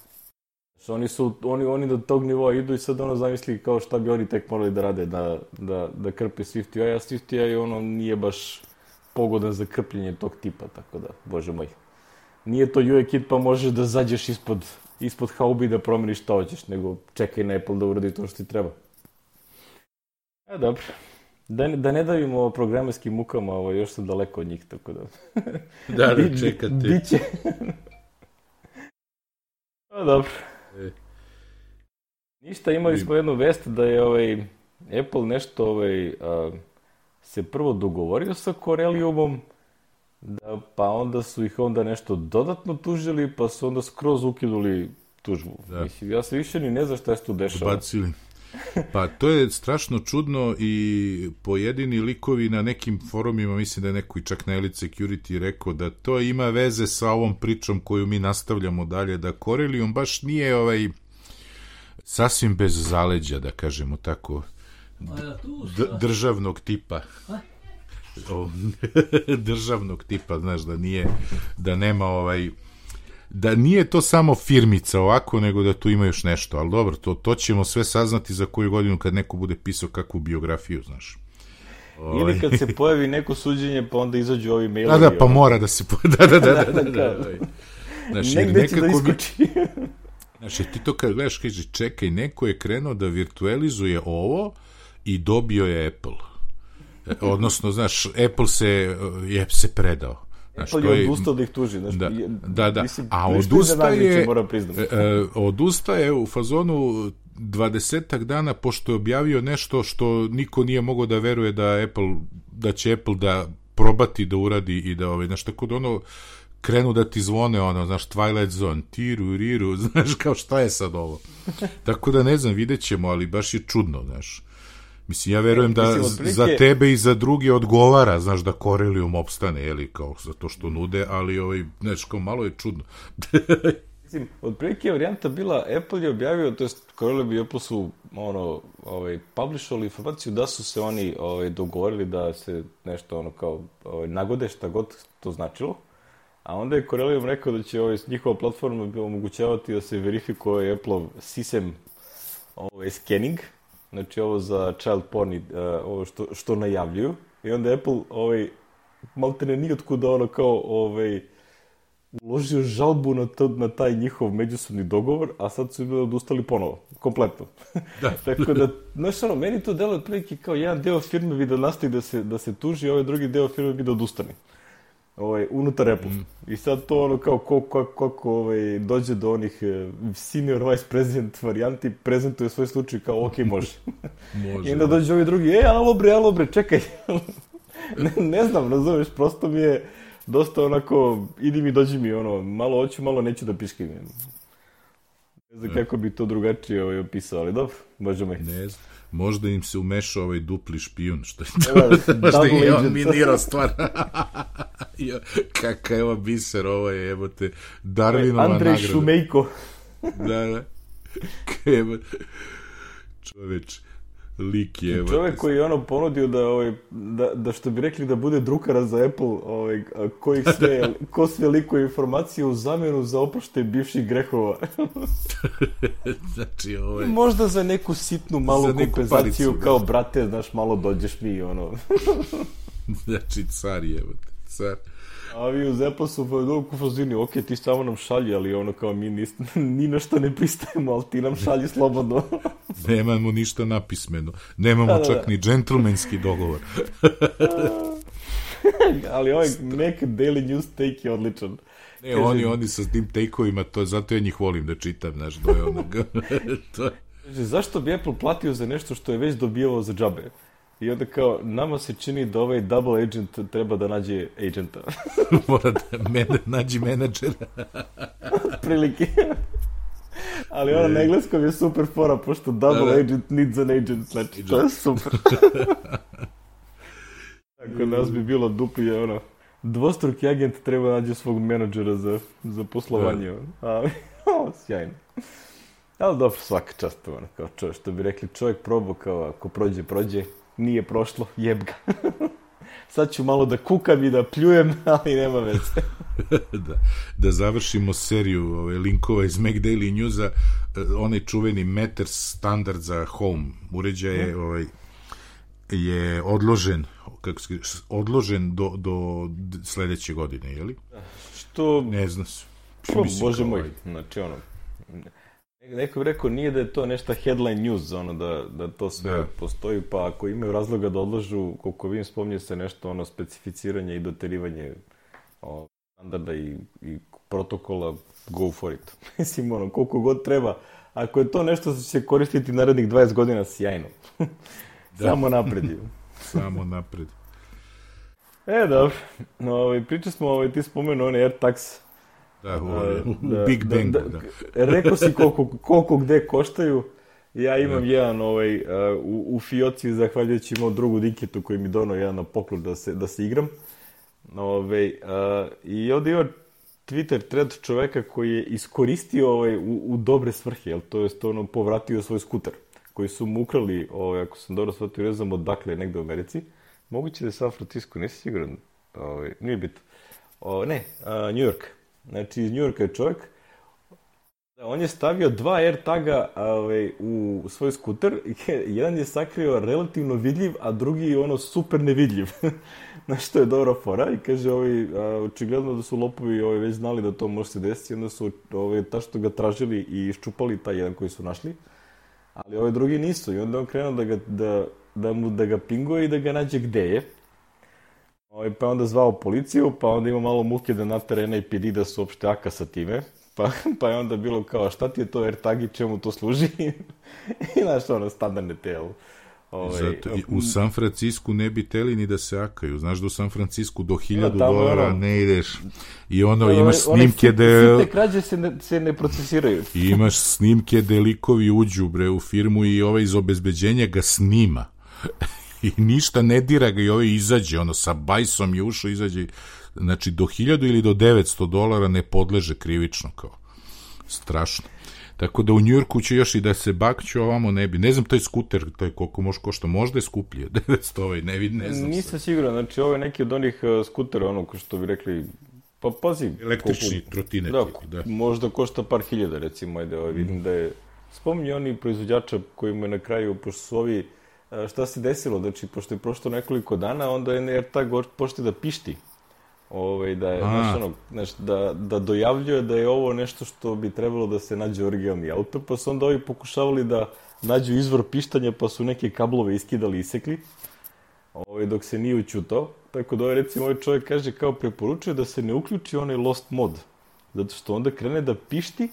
Oni su, oni, oni do tog nivoa idu i sad ono zamisli kao šta bi oni tek morali da rade, da, da, da krpe SwiftUI, a SwiftUI ono nije baš pogodan za krpljenje tog tipa, tako da, bože moj. Nije to U I kit pa možeš da zađeš ispod, ispod haubi da promeniš šta hoćeš, nego čekaj na Apple da uradi to što ti treba. A dobro. Da, da ne davimo programerskim mukama, ovo još sam daleko od njih, tako da... Da, da, čekati. Biće. A dobro. E. Ništa, imali smo jednu vest da je ovaj, Apple nešto ovaj, a, se prvo dogovorio sa Corelliumom, da, pa onda su ih onda nešto dodatno tužili, pa su onda skroz ukinuli tužbu. Da. Mislim, ja se više ni ne znam šta se tu dešava. Bacili. Pa to je strašno čudno i pojedini likovi na nekim forumima, mislim da je neko i čak na Elite Security rekao da to ima veze sa ovom pričom koju mi nastavljamo dalje, da Corellium baš nije ovaj sasvim bez zaleđa, da kažemo tako, d- državnog tipa. O, državnog tipa, znaš, da nije, da nema ovaj, da nije to samo firmica ovako, nego da tu ima još nešto, ali dobro, to, to ćemo sve saznati za koju godinu kad neko bude pisao kakvu biografiju, znaš. Ovaj. Ili kad se pojavi neko suđenje, pa onda izađu ovi mailovi. Da, da, pa mora da se pojavi, da, da, da, da, da, da, da. Znaš, negde će da iskoči. Bi... Znaš, ti to kad gledaš, kaže, čekaj, neko je krenuo da virtualizuje ovo i dobio je Apple. Odnosno, znaš, Apple se, je se predao. Znaš, Apple je odustao da ih tuži. Znaš, da, je, da, da. Mislim, a odustaje, e, odustaje u fazonu dvadesetak dana pošto je objavio nešto što niko nije mogao da veruje da Apple, da će Apple da probati da uradi i da, ovaj, znaš, tako da ono, krenu da ti zvone, ono, znaš, Twilight Zone, tiru, riru, znaš, kao šta je sad ovo. Tako da ne znam, vidjet ćemo, ali baš je čudno, znaš. Mislim, ja verujem da Mislim, otprilike... za tebe i za druge odgovara, znaš, da Corellium opstane, jeli, kao za to što nude, ali, ovaj, znaš, kao malo je čudno. Mislim, otprilike je varijanta bila, Apple je objavio, to jest Corellium i Apple su, ono, ovaj, publishovali informaciju da su se oni, ovaj, dogovorili da se nešto, ono, kao, ovaj, nagode, šta god to značilo, a onda je Corellium rekao da će, ovaj, njihova platforma omogućavati da se verifikuje Apple-ov sisem, ovaj, scanning, znači ovo za child porn, uh, ovo što, što najavljuju. I onda Apple, ovaj, maltene nijotkuda ono kao, ovaj, uložio žalbu na, to, na taj njihov međusobni dogovor, a sad su bili odustali ponovo, kompletno. Da. Tako da, znaš ono, meni to delo otprilike kao jedan deo firme bi da nastavi da se, da se tuži, a ovaj drugi deo firme bi da odustane. Ovaj, unutar Apple. Mm. I sad to ono kao kako ko, ko, ovaj, dođe do onih senior vice president varijanti, prezentuje svoj slučaj kao ok, može. Može. I onda dođe ovi drugi, ej, alo bre, alo bre, čekaj. ne, ne znam, razumeš, prosto mi je dosta onako, idi mi, dođi mi, ono, malo hoću, malo neću da piškim. Ne znam kako bi to drugačije ovaj, opisao, ali dobro, možemo ih. Ne znam. Možda im se umešao ovaj dupli špijun, što je to. Možda im je on minirao stvar. Kaka je ova biser, ovo je, jebote, Darwinova nagrada. Andrej Šumejko. Da, da. Čoveč, lik je. Čovek koji je ono ponudio da, ovaj, da, da što bi rekli da bude drukara za Apple, ovaj, kojih sve, ko sve likuje informacije u zamjenu za oproštaj bivših grehova. Znači, ovaj... Možda za neku sitnu malu za kompenzaciju, palicu, kao da. Brate, znaš, malo dođeš mi, ono. Znači, car je, car. A vi uz Apple su u fazini, ok, ti samo nam šalji, ali ono kao mi ni, ni na što ne pristajemo, ali ti nam šalji slobodno. Nemamo ništa napismeno. Nemamo da, čak da, da. ni džentlmenski dogovor. Ali ovaj Mac Daily News take je odličan. Ne, kaže, oni, oni sa tim take-ovima, to, zato ja njih volim da čitam, znaš, do je onog. To je. Kaže, zašto bi Apple platio za nešto što je već dobijao za džabe? I onda kao, nama se čini da ovaj double agent treba da nađe agenta. Mora da mene, nađi menadžera. Prilike. Ali ono na engleskom je super fora, pošto double da, da. agent needs an agent. Znači, to je super. Tako nas bi bilo dupli, ono, dvostruki agent treba nađe svog menadžera za, za poslovanje. Ali, o, sjajno. Ali dobro, svaka čast, ono, kao čovjek, što bi rekli, čovjek probao, kao ako prođe, prođe. Nije prošlo, jeb ga. Sad ću malo da kukam i da pljujem, ali nema veze. da, da završimo seriju ove, linkova iz Mac Daily Newsa, onaj čuveni Matter standard za home uređaj je, ovaj, je odložen, kako se, odložen do, do sledeće godine, je li? Što? Ne znam se. Što, bože moj, znači ono... Neko bi rekao, nije da je to nešto headline news, ono, da, da to sve da. postoji, pa ako imaju razloga da odlažu, koliko vidim, spominje se nešto, ono, specificiranje i doterivanje o, standarda i, i protokola, go for it. Mislim, ono, koliko god treba. Ako je to nešto što će se koristiti narednih dvadeset godina, sjajno. Da. Samo napred. Samo napred. E, dobro. No, ovaj, pričali smo, ovaj, ti spomenu one AirTags. Da, u, da, u Big Bangu, da. da. Rekao si koliko, koliko gde koštaju. Ja imam da. jedan ovaj, uh, u, u fioci, zahvaljujući imao drugu Dinketu koji mi donao jedan na poklon da se, da se igram. Ovaj, uh, I ovdje ima Twitter thread čoveka koji je iskoristio ovaj, u, u dobre svrhe, jel? To je ono, povratio svoj skuter, koji su mu ukrali, ovaj, ako sam dobro shvatio, ne znam odakle, negde u Americi. Moguće da je San Francisco, nisi siguran. Ovaj, nije bitno. O, ne, uh, New York. Znači, iz New Yorka je čovjek. On je stavio dva AirTaga ovaj, u svoj skuter. Jedan je sakrio relativno vidljiv, a drugi je ono super nevidljiv. Znači, to je dobra fora. I kaže, ovaj, a, očigledno da su lopovi ovaj, već znali da to može se desiti. Onda su ovaj, ta što ga tražili i iščupali taj jedan koji su našli. Ali ovaj drugi nisu. I onda on krenuo da ga, da, da mu, da ga pinguje i da ga nađe gde je. Pa je onda zvao policiju, pa onda ima malo muke da natara N A P D da su uopšte aka sa time. Pa, pa je onda bilo kao, šta ti je to AirTag i čemu to služi? I znaš, ono, standardne telo. Ovaj, Zato, u San Francisku ne bi teli ni da se akaju. Znaš da u San Francisku do hiljadu dolara ono, ne ideš. I ono, ono imaš snimke one, da... Sitne krađe se ne, se ne procesiraju. I imaš snimke da likovi uđu bre, u firmu i ovaj iz obezbeđenja ga snima. I ništa ne dira ga i ovaj izađe, ono, sa bajsom je ušao, izađe, znači, do hiljadu ili do devetsto dolara ne podleže krivično, kao, strašno. Tako da u Njujorku će još i da se bakću, ovamo ne bi, ne znam, taj skuter, taj koliko može košta, možda je skuplje, devetsto ovaj, ne vidim, ne znam. Nisam siguran, znači, ovo je neki od onih uh, skutera, ono, ko što bi rekli, pa pazi. Električni koliko, trotine. Da, da, možda košta par hiljada, recimo, ajde, ovaj, vidim mm. da je, spominje oni proizvođača koji mu je na kraju, pošto su ovi, šta se desilo, znači, pošto je prošlo nekoliko dana, onda je AirTag početi da pišti. Ove, da, je, znaš, ono, znaš, da, da dojavljuje da je ovo nešto što bi trebalo da se nađe originalni auto, pa su onda ovi pokušavali da nađu izvor pištanja, pa su neke kablove iskidali i isekli, ove, dok se nije učutao. Tako da, recimo, ovaj čovjek kaže kao preporučuje da se ne uključi onaj lost mod, zato što onda krene da pišti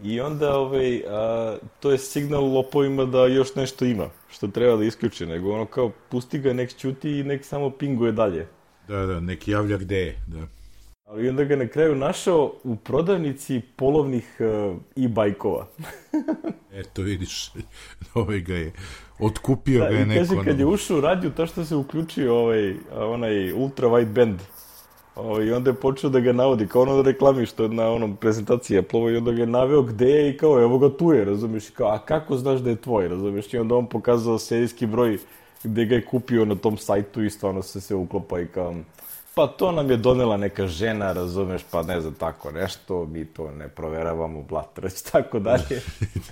i onda ovaj, a, to je signal lopovima da još nešto ima, što treba da isključi, nego ono kao pusti ga, nek ćuti i nek samo pinguje dalje. Da, da, nek javlja gde je, da. Ali onda ga na kraju našao u prodavnici polovnih uh, e-bajkova. Eto, vidiš, ovaj ga je, otkupio da, ga je neko. Kaže, kad je ušao u radio, to što se uključio ovaj, onaj ultra wide band, ovaj, i onda je počeo da ga navodi, kao ono da reklami što je na onom prezentaciji Apple-ovo, i onda ga je naveo gde je i kao, evo ga tu je, razumiješ, kao, a kako znaš da je tvoj, razumiješ, i onda on pokazao serijski broj gde ga je kupio na tom sajtu i stvarno se se uklopa i kao, pa to nam je donela neka žena, razumeš, pa ne znam, tako nešto, mi to ne proveravamo, blatrać, tako dalje.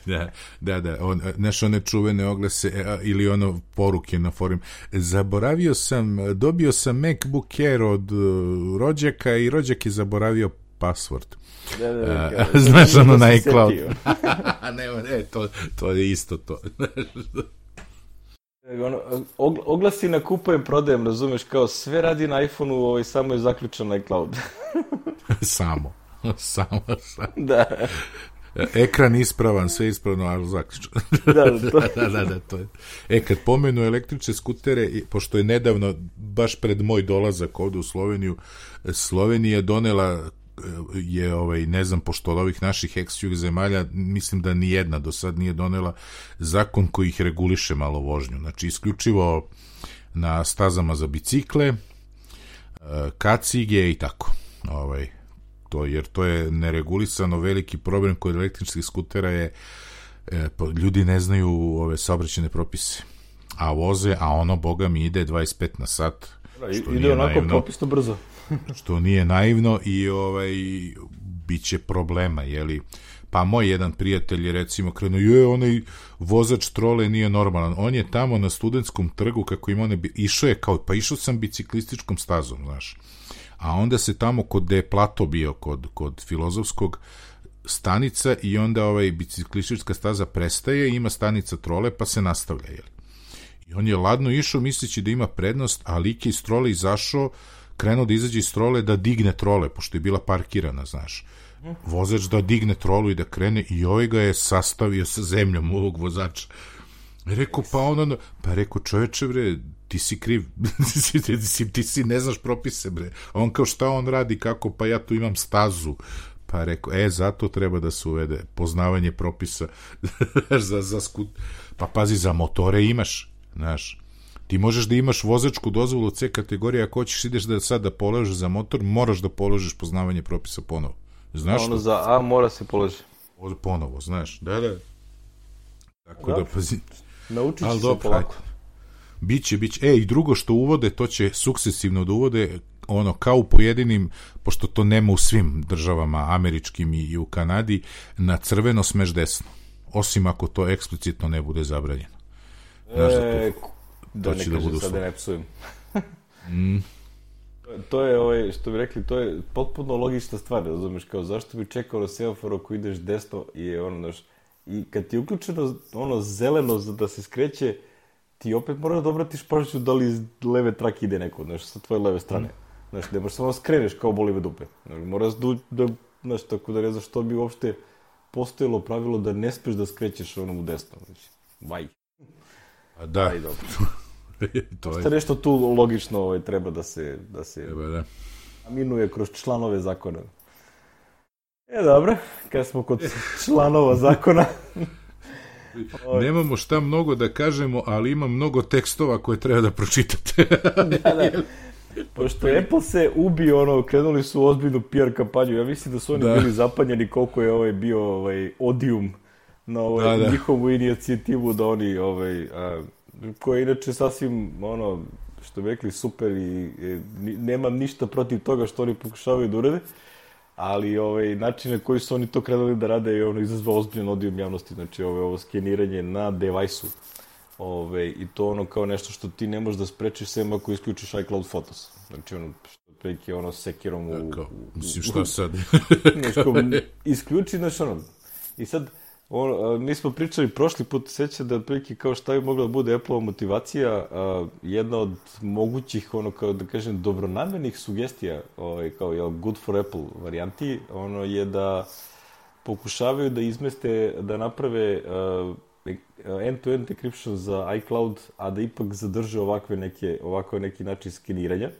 da, da, da, on, znaš one čuvene oglase a, ili ono poruke na forum, zaboravio sam, dobio sam MacBook Air od uh, rođaka i rođak je zaboravio password. Da, da, da, a, znaš ono na iCloud. ne, ne, to, to je isto to. Ono, oglasi na kupujem, prodajem, razumeš, kao sve radi na iPhoneu, ovaj, samo je zaključan na iCloud. samo, samo, samo. Da. Ekran ispravan, sve ispravno, ali zaključan. Da, da, to... da, da, da, to je. E, kad pomenu električne skutere, pošto je nedavno, baš pred moj dolazak ovde u Sloveniju, Slovenija donela je, ovaj, ne znam, pošto od ovih naših ex-jug zemalja, mislim da ni jedna do sad nije donela zakon koji ih reguliše malo vožnju. Znači, isključivo na stazama za bicikle, kacige i tako. Ovaj, to, jer to je neregulisano. Veliki problem kod električnih skutera je e, ljudi ne znaju ove saobraćajne propise. A voze, a ono, boga mi, ide dvadeset pet na sat. Što ide onako naivno, propisno brzo. što nije naivno i ovaj, bit će problema, jeli. Pa moj jedan prijatelj je recimo krenuo, je, onaj vozač trole nije normalan. On je tamo na Studentskom trgu, kako ima one, išao je kao, pa išao sam biciklističkom stazom, znaš. A onda se tamo kod gde je plato bio, kod, kod Filozofskog, stanica i onda ovaj biciklistička staza prestaje, ima stanica trole, pa se nastavlja, jeli. I on je ladno išao misleći da ima prednost, a lik je iz trole izašao, krenuo da izađe iz trole da digne trole, pošto je bila parkirana, znaš. Vozač da digne trolu i da krene i ovaj ga je sastavio sa zemljom ovog vozača. Rekao, pa ono, pa rekao, čoveče, bre, ti si kriv, ti, si, ti si ne znaš propise, bre. A on kao, šta on radi, kako, pa ja tu imam stazu. Pa rekao, e, zato treba da se uvede poznavanje propisa za, za skut... Pa pazi, za motore imaš, znaš. Ti možeš da imaš vozačku dozvolu C kategorije, ako hoćeš ideš da sad da položiš za motor, moraš da položiš poznavanje propisa ponovo. Znaš ono što? Za A mora se položiti. Ponovo, znaš, da, da. Tako da, da pazi. Naučit će se polako. Biće, biće. E, i drugo što uvode, to će sukcesivno da uvode, ono, kao u pojedinim, pošto to nema u svim državama, američkim i u Kanadi, na crveno smeš desno. Osim ako to eksplicitno ne bude zabranjeno. Znaš da to... E, da ne kažem sad da ne psujem. mm. To je, ovaj, što bi rekli, to je potpuno logična stvar, razumeš, kao zašto bi čekao na semafor ako ideš desno i je ono, znaš, i kad ti je uključeno ono zeleno da se skreće, ti opet moraš da obratiš pažnju da li iz leve trake ide neko, znaš, sa tvoje leve strane. Znaš, ne možeš samo skreneš kao boli me dupe. Znaš, moraš da, da, znaš, tako da ne znaš što bi uopšte postojilo pravilo da ne smeš da skrećeš onom u desno. Znači, vaj. A da. Aj, dobro. to je nešto tu logično ovaj, treba da se, da se treba, da. aminuje kroz članove zakona. E, dobro, kad smo kod članova zakona... Nemamo šta mnogo da kažemo, ali ima mnogo tekstova koje treba da pročitate. da, da. Pošto Apple se ubio, ono, krenuli su u ozbiljnu P R kampanju. Ja mislim da su oni da. bili zapanjeni koliko je ovaj bio ovaj, odium na ovaj, da, da. njihovu inicijativu da oni, ovaj, a, koja je inače sasvim, ono, što bi rekli, super i, i nemam ništa protiv toga što oni pokušavaju da urede, ali ovaj, način na koji su oni to krenuli da rade je ono izazvao ozbiljan odijum javnosti, znači ovaj, ovo skeniranje na devajsu. Ove, i to ono kao nešto što ti ne možeš da sprečiš sem ako isključiš iCloud Photos. Znači ono, što preki ono sekirom u... Dakle, mislim šta sad? Nešto, isključi, znači ono. I sad, ono, mi smo pričali prošli put, seća da preki kao šta bi mogla da bude Apple-ova motivacija, a, jedna od mogućih, ono kao da kažem, dobronamernih sugestija, ovaj, kao je good for Apple varijanti, ono je da pokušavaju da izmeste, da naprave a, end-to-end encryption za iCloud, a da ipak zadrže ovakve neke, ovako neki način skeniranja,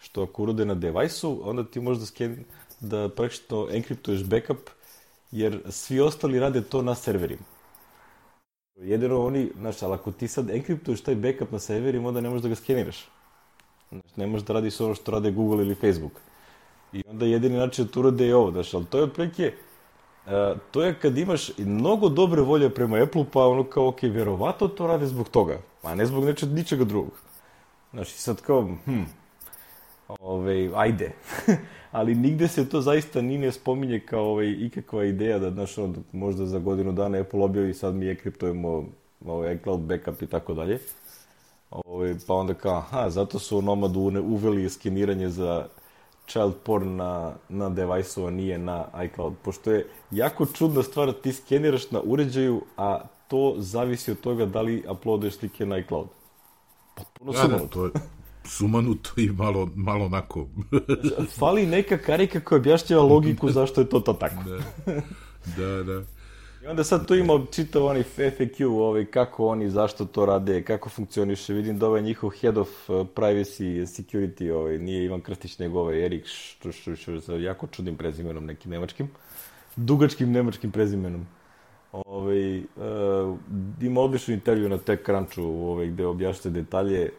što ako urode na devajsu, onda ti možeš da, sken, da praktično enkriptuješ backup, jer svi ostali rade to na serverima. Jedino oni, znaš, ali ako ti sad enkriptuješ taj backup na serverima, onda ne možeš da ga skeniraš. Znaš, ne možeš da radiš ono što rade Google ili Facebook. I onda jedini način da to urade je ovo, znaš, ali to je otprilike, uh, to je kad imaš mnogo dobre volje prema Apple, pa ono kao, ok, verovatno to rade zbog toga, a ne zbog nečeg, ničega drugog. Znaš, i sad kao, hm, ove, ajde. Ali nigde se to zaista ni ne spominje kao ove, ikakva ideja da, znaš, ono, možda za godinu dana Apple objavi, sad mi enkriptujemo ove, iCloud backup i tako dalje. Ove, pa onda kao, aha, zato su u Nomadu uveli skeniranje za child porn na, na devajsu, a nije na iCloud. Pošto je jako čudna stvar, ti skeniraš na uređaju, a to zavisi od toga da li uploaduješ slike na iCloud. Potpuno sumanuto. To je sumanuto i malo, malo onako. Fali neka karika koja objašnjava logiku zašto je to to tako. Da, da, da. I onda sad tu ima čitav onaj F A Q, ovaj, kako oni, zašto to rade, kako funkcioniše. Vidim da ovaj njihov head of privacy security, ovaj, nije Ivan Krstić, nego ovaj Erik, što, što, što, što jako čudnim prezimenom, nekim nemačkim, dugačkim nemačkim prezimenom. Ovaj, uh, ima odličnu intervju na TechCrunchu, ovaj, gde objašnjate detalje.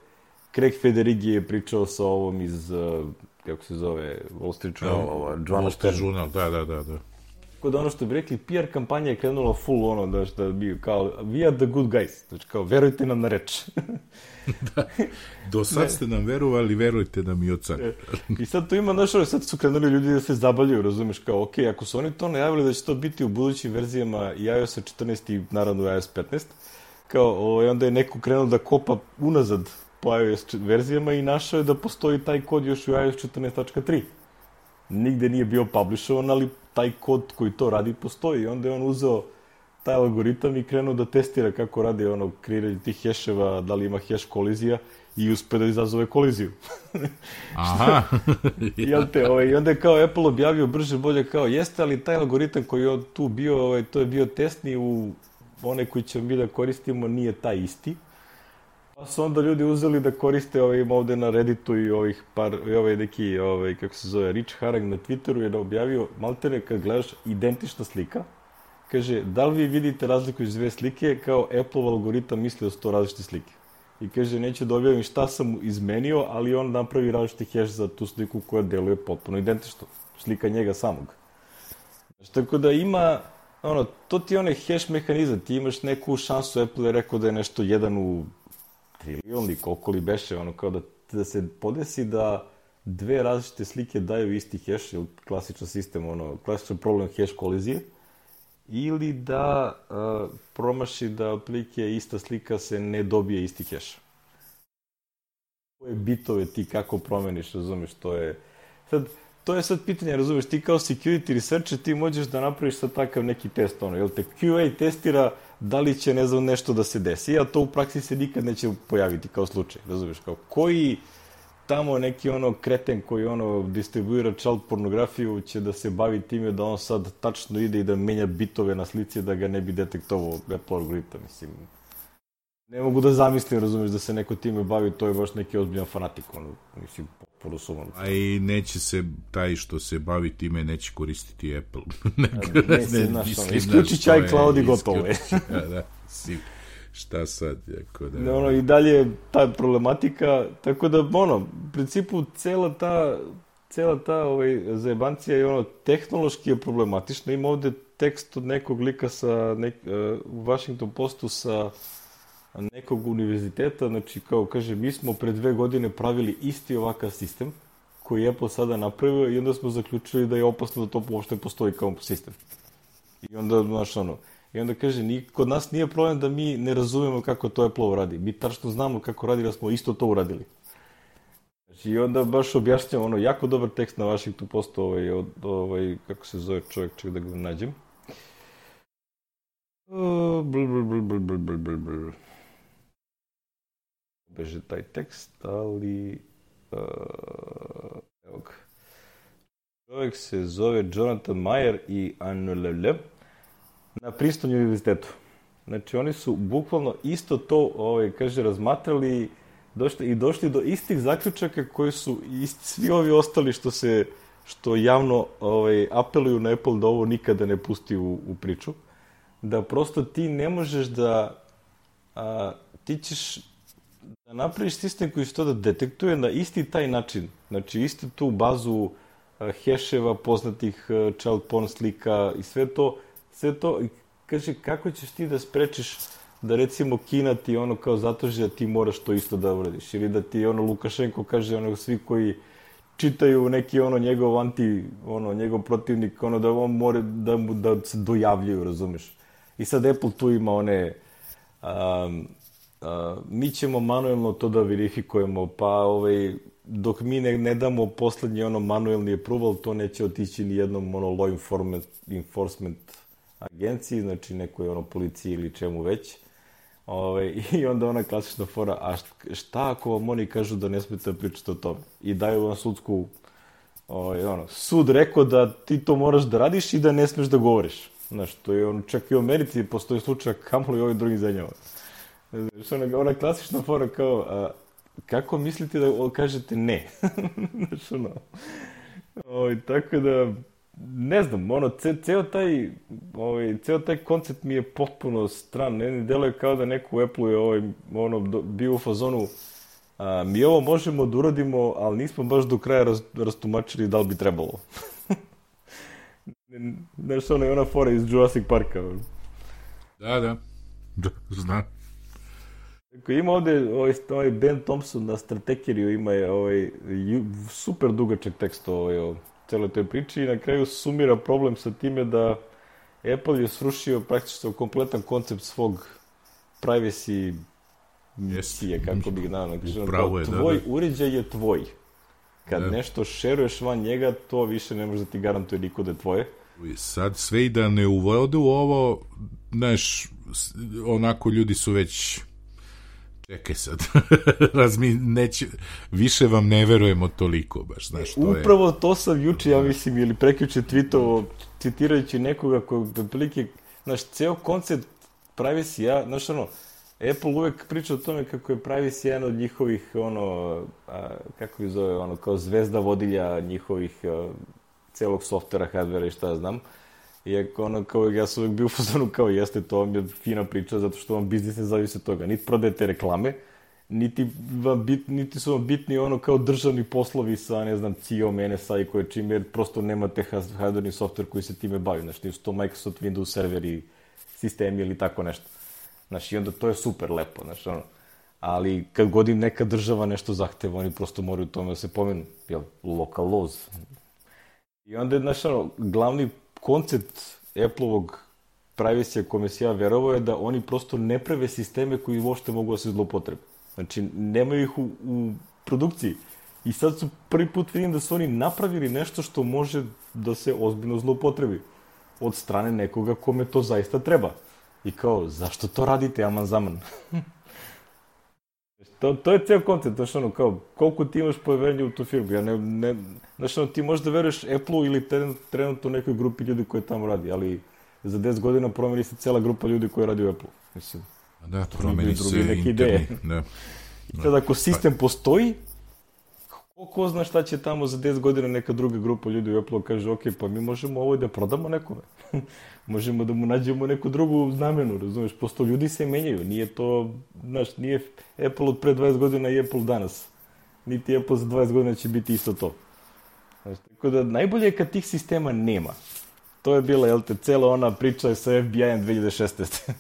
Craig Federighi je pričao sa ovom iz, uh, kako se zove, Wall Street Journal, Wall Street Journal, da, da, da, da. Tako da ono što bi rekli, P R kampanja je krenula full ono, da, da bi kao, we are the good guys, znači kao, verujte nam na reč. Da, do sad ste nam verovali, verujte nam i od sad. I sad to ima, znaš, sad su krenuli ljudi da se zabavljaju, razumeš, kao, ok, ako su oni to najavili da će to biti u budućim verzijama i iOS četrnaest i naravno iOS petnaest, kao, ovaj, onda je neko krenuo da kopa unazad po iOS verzijama i našao je da postoji taj kod još u iOS četrnaest tačka tri. Nigde nije bio publishovan, ali taj kod koji to radi postoji. I onda je on uzeo taj algoritam i krenuo da testira kako radi ono kreiranje tih heševa, da li ima heš kolizija i uspe da izazove koliziju. Aha. Jel te, ovaj, i onda je kao Apple objavio brže bolje kao jeste, ali taj algoritam koji je tu bio, ovaj, to je bio testni u one koji ćemo mi da koristimo, nije taj isti. Pa su onda ljudi uzeli da koriste ovaj, ovde na Redditu i ovih par, i ovaj neki, ovaj, kako se zove, Rich Harang na Twitteru je da objavio, maltene kad gledaš identična slika, kaže, da li vi vidite razliku iz dve slike, kao Apple algoritam misli da su to različite slike. I kaže, neću da objavim šta sam izmenio, ali on napravi različiti hash za tu sliku koja deluje potpuno identično. Slika njega samog. Znači, tako da ima, ono, to ti je onaj hash mehanizam, ti imaš neku šansu, Apple je rekao da je nešto jedan u trilion li koliko li beše, ono kao da, da se podesi da dve različite slike daju isti hash, ili klasičan sistem, ono, klasičan problem hash kolizije, ili da uh, promaši da otprilike ista slika se ne dobije isti hash. Koje bitove ti kako promeniš, razumeš, to je... Sad, to je sad pitanje, razumeš, ti kao security researcher ti možeš da napraviš sad takav neki test, ono, jel te Q A testira da li će, ne znam, nešto da se desi, a to u praksi se nikad neće pojaviti kao slučaj, razumeš, kao koji tamo neki ono kreten koji ono distribuira child pornografiju će da se bavi time da on sad tačno ide i da menja bitove na slici da ga ne bi detektovao Apple algoritam, mislim. Ne mogu da zamislim, razumeš, da se neko time bavi, to je baš neki ozbiljan fanatik, ono, mislim, potpuno sumano. A i neće se, taj što se bavi time, neće koristiti Apple. ne, ne, ne, znaš, ono, isključit će iCloud i gotovo je. Da, da, si, šta sad, jako da... Ne, ono, i dalje ta problematika, tako da, ono, u principu, cela ta, cela ta ovaj, zajebancija je, ono, tehnološki je problematična. Ima ovde tekst od nekog lika sa, nek, uh, u Washington Postu sa nekog univerziteta, znači kao kaže, mi smo pre dve godine pravili isti ovakav sistem koji je Apple sada napravio i onda smo zaključili da je opasno da to uopšte postoji kao sistem. I onda, znaš, ono, i onda kaže, ni, kod nas nije problem da mi ne razumemo kako to Apple radi. Mi tačno znamo kako radi, da smo isto to uradili. Znači, i onda baš objašnjamo, ono, jako dobar tekst na Washington Postu, ovaj, od, ovaj, kako se zove čovjek, ček da ga nađem. Uh, bl, bl, bl, bl, bl, bl, bl, bl. Beže taj tekst, ali... Uh, evo ga. Čovjek se zove Jonathan Mayer i Anulele na Princetonu univerzitetu. Znači, oni su bukvalno isto to, ovaj, kaže, razmatrali došli, i došli do istih zaključaka koji su isti, svi ovi ostali što se što javno ovaj, apeluju na Apple da ovo nikada ne pusti u, u priču, da prosto ti ne možeš da a, ti ćeš da napraviš sistem koji će to da detektuje na isti taj način, znači isti tu bazu a, heševa, poznatih a, child porn slika i sve to, sve to, kaže kako ćeš ti da sprečiš da recimo Kina ti ono kao zatraži da ti moraš to isto da uradiš, ili da ti ono Lukašenko kaže ono svi koji čitaju neki ono njegov anti, ono njegov protivnik, ono da on mora da mu da se dojavljuju, razumeš. I sad Apple tu ima one um, uh, mi ćemo manuelno to da verifikujemo, pa ovaj, dok mi ne, ne damo poslednji ono manuelni approval, to neće otići ni jednom ono law enforcement, enforcement agenciji, znači nekoj ono policiji ili čemu već. Ove, I onda ona klasična fora, a šta ako vam oni kažu da ne smete da pričate o tome? I daju vam sudsku, ove, ono, sud rekao da ti to moraš da radiš i da ne smeš da govoriš. Znaš, to je ono, čak i u Americi postoji slučaj kamoli ovim drugim zemljama. Ona, ona klasična fora kao, a, kako mislite da kažete ne? Znaš, ono, ove, tako da, ne znam, ono, ce, ceo taj, ovaj, ceo taj koncept mi je potpuno stran, ne, ne deluje kao da neko u Apple je ovaj, ono, do, bio u fazonu, a, mi ovo možemo da uradimo, ali nismo baš do kraja raz, rastumačili da li bi trebalo. Znaš, ono je ona fora iz Jurassic Parka. Da, da, da, znam. Ima ovde ovaj, ovaj Ben Thompson na Stratekeriju, ima je ovaj, super dugačak tekst ovaj, o celoj toj priči i na kraju sumira problem sa time da Apple je srušio praktično kompletan koncept svog privacy misije, kako bih znao. Tvoj da, da. uređaj je tvoj. Kad da. nešto šeruješ van njega, to više ne može da ti garantuje niko da je tvoje. I sad sve i da ne uvode u ovo, znaš, onako ljudi su već... Čekaj sad, Razmi, neće, više vam ne verujemo toliko, baš, znaš, to Upravo je... Upravo to sam juče, ja mislim, ili prekjuče tweetovo, citirajući nekoga koji, otprilike, znaš, ceo koncept privacy, ja, znaš, ono, Apple uvek priča o tome kako je privacy jedan od njihovih, ono, a, kako ih zove, ono, kao zvezda vodilja njihovih a, celog softvera, hardvera i šta znam. Iako ono, kao ja sam uvijek bio u fazonu kao jeste, to vam je fina priča zato što vam biznis ne zavisi od toga. Niti prodajete reklame, niti, vam bit, niti su vam bitni ono kao državni poslovi sa, ne znam, C I O-om, N S A i koje čime, jer prosto nemate hardverni softver koji se time bavi. Znači, nisu to Microsoft Windows serveri, sistemi ili tako nešto. Znači, i onda to je super lepo, znači, ono. Ali kad god im neka država nešto zahteva, oni prosto moraju tome da se pomenu. Jel, local laws. I onda je, znači, ono, glavni koncept Apple-ovog privacy-a kome se ja verovao je da oni prosto ne prave sisteme koji uopšte mogu da se zloupotrebe. Znači, nemaju ih u, u produkciji. I sad su prvi put vidim da su oni napravili nešto što može da se ozbiljno zloupotrebi od strane nekoga kome to zaista treba. I kao, zašto to radite, aman zaman? To, to je ceo koncept, znaš ono, kao, koliko ti imaš poverenja u tu firmu, ja ne, ne, znaš ono, ti možda veruješ Apple-u ili trenutno nekoj grupi ljudi koji tamo radi, ali za deset godina promeni se cela grupa ljudi koji radi u Apple-u, mislim. Da, promeni se internet, da. I sad ako sistem postoji, ko, ko zna šta će tamo za deset godina neka druga grupa ljudi u Apple-u kaže, ok, pa mi možemo ovo da prodamo nekome. Možemo da mu nađemo neku drugu znamenu, razumeš, posto ljudi se menjaju, nije to, znaš, nije Apple od pre dvadeset godina i Apple danas, niti Apple za dvadeset godina će biti isto to. Znaš, tako da najbolje je kad tih sistema nema. To je bila, jel te, cela ona priča sa F B I-em dve hiljade šesnaeste.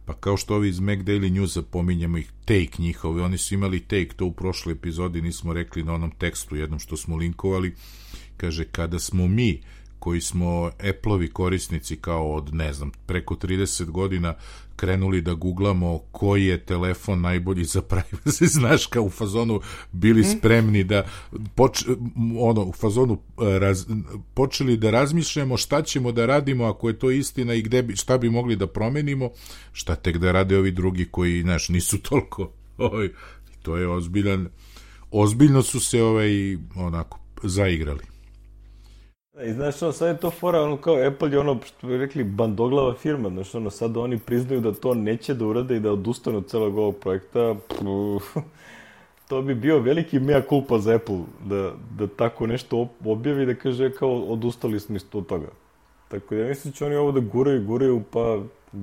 Pa kao što ovi iz Mac Daily Newsa pominjamo ih, take njihovi, oni su imali take, to u prošloj epizodi nismo rekli na onom tekstu jednom što smo linkovali, kaže, kada smo mi koji smo Apple-ovi korisnici kao od, ne znam, preko trideset godina krenuli da googlamo koji je telefon najbolji za privacy, znaš, kao u fazonu bili spremni da poč, ono, u fazonu raz, počeli da razmišljamo šta ćemo da radimo ako je to istina i gde bi, šta bi mogli da promenimo, šta tek da rade ovi drugi koji, znaš, nisu toliko, ovaj, to je ozbiljan, ozbiljno su se ovaj, onako, zaigrali. I znaš, ono, sad je to fora, ono, kao Apple je ono, što bi rekli, bandoglava firma, znaš, ono, sad oni priznaju da to neće da urade i da odustanu od celog ovog projekta, pff, to bi bio veliki mea culpa za Apple, da, da tako nešto objavi, da kaže, kao, odustali smo isto od toga. Tako da ja mislim da će oni ovo da guraju, guraju, pa,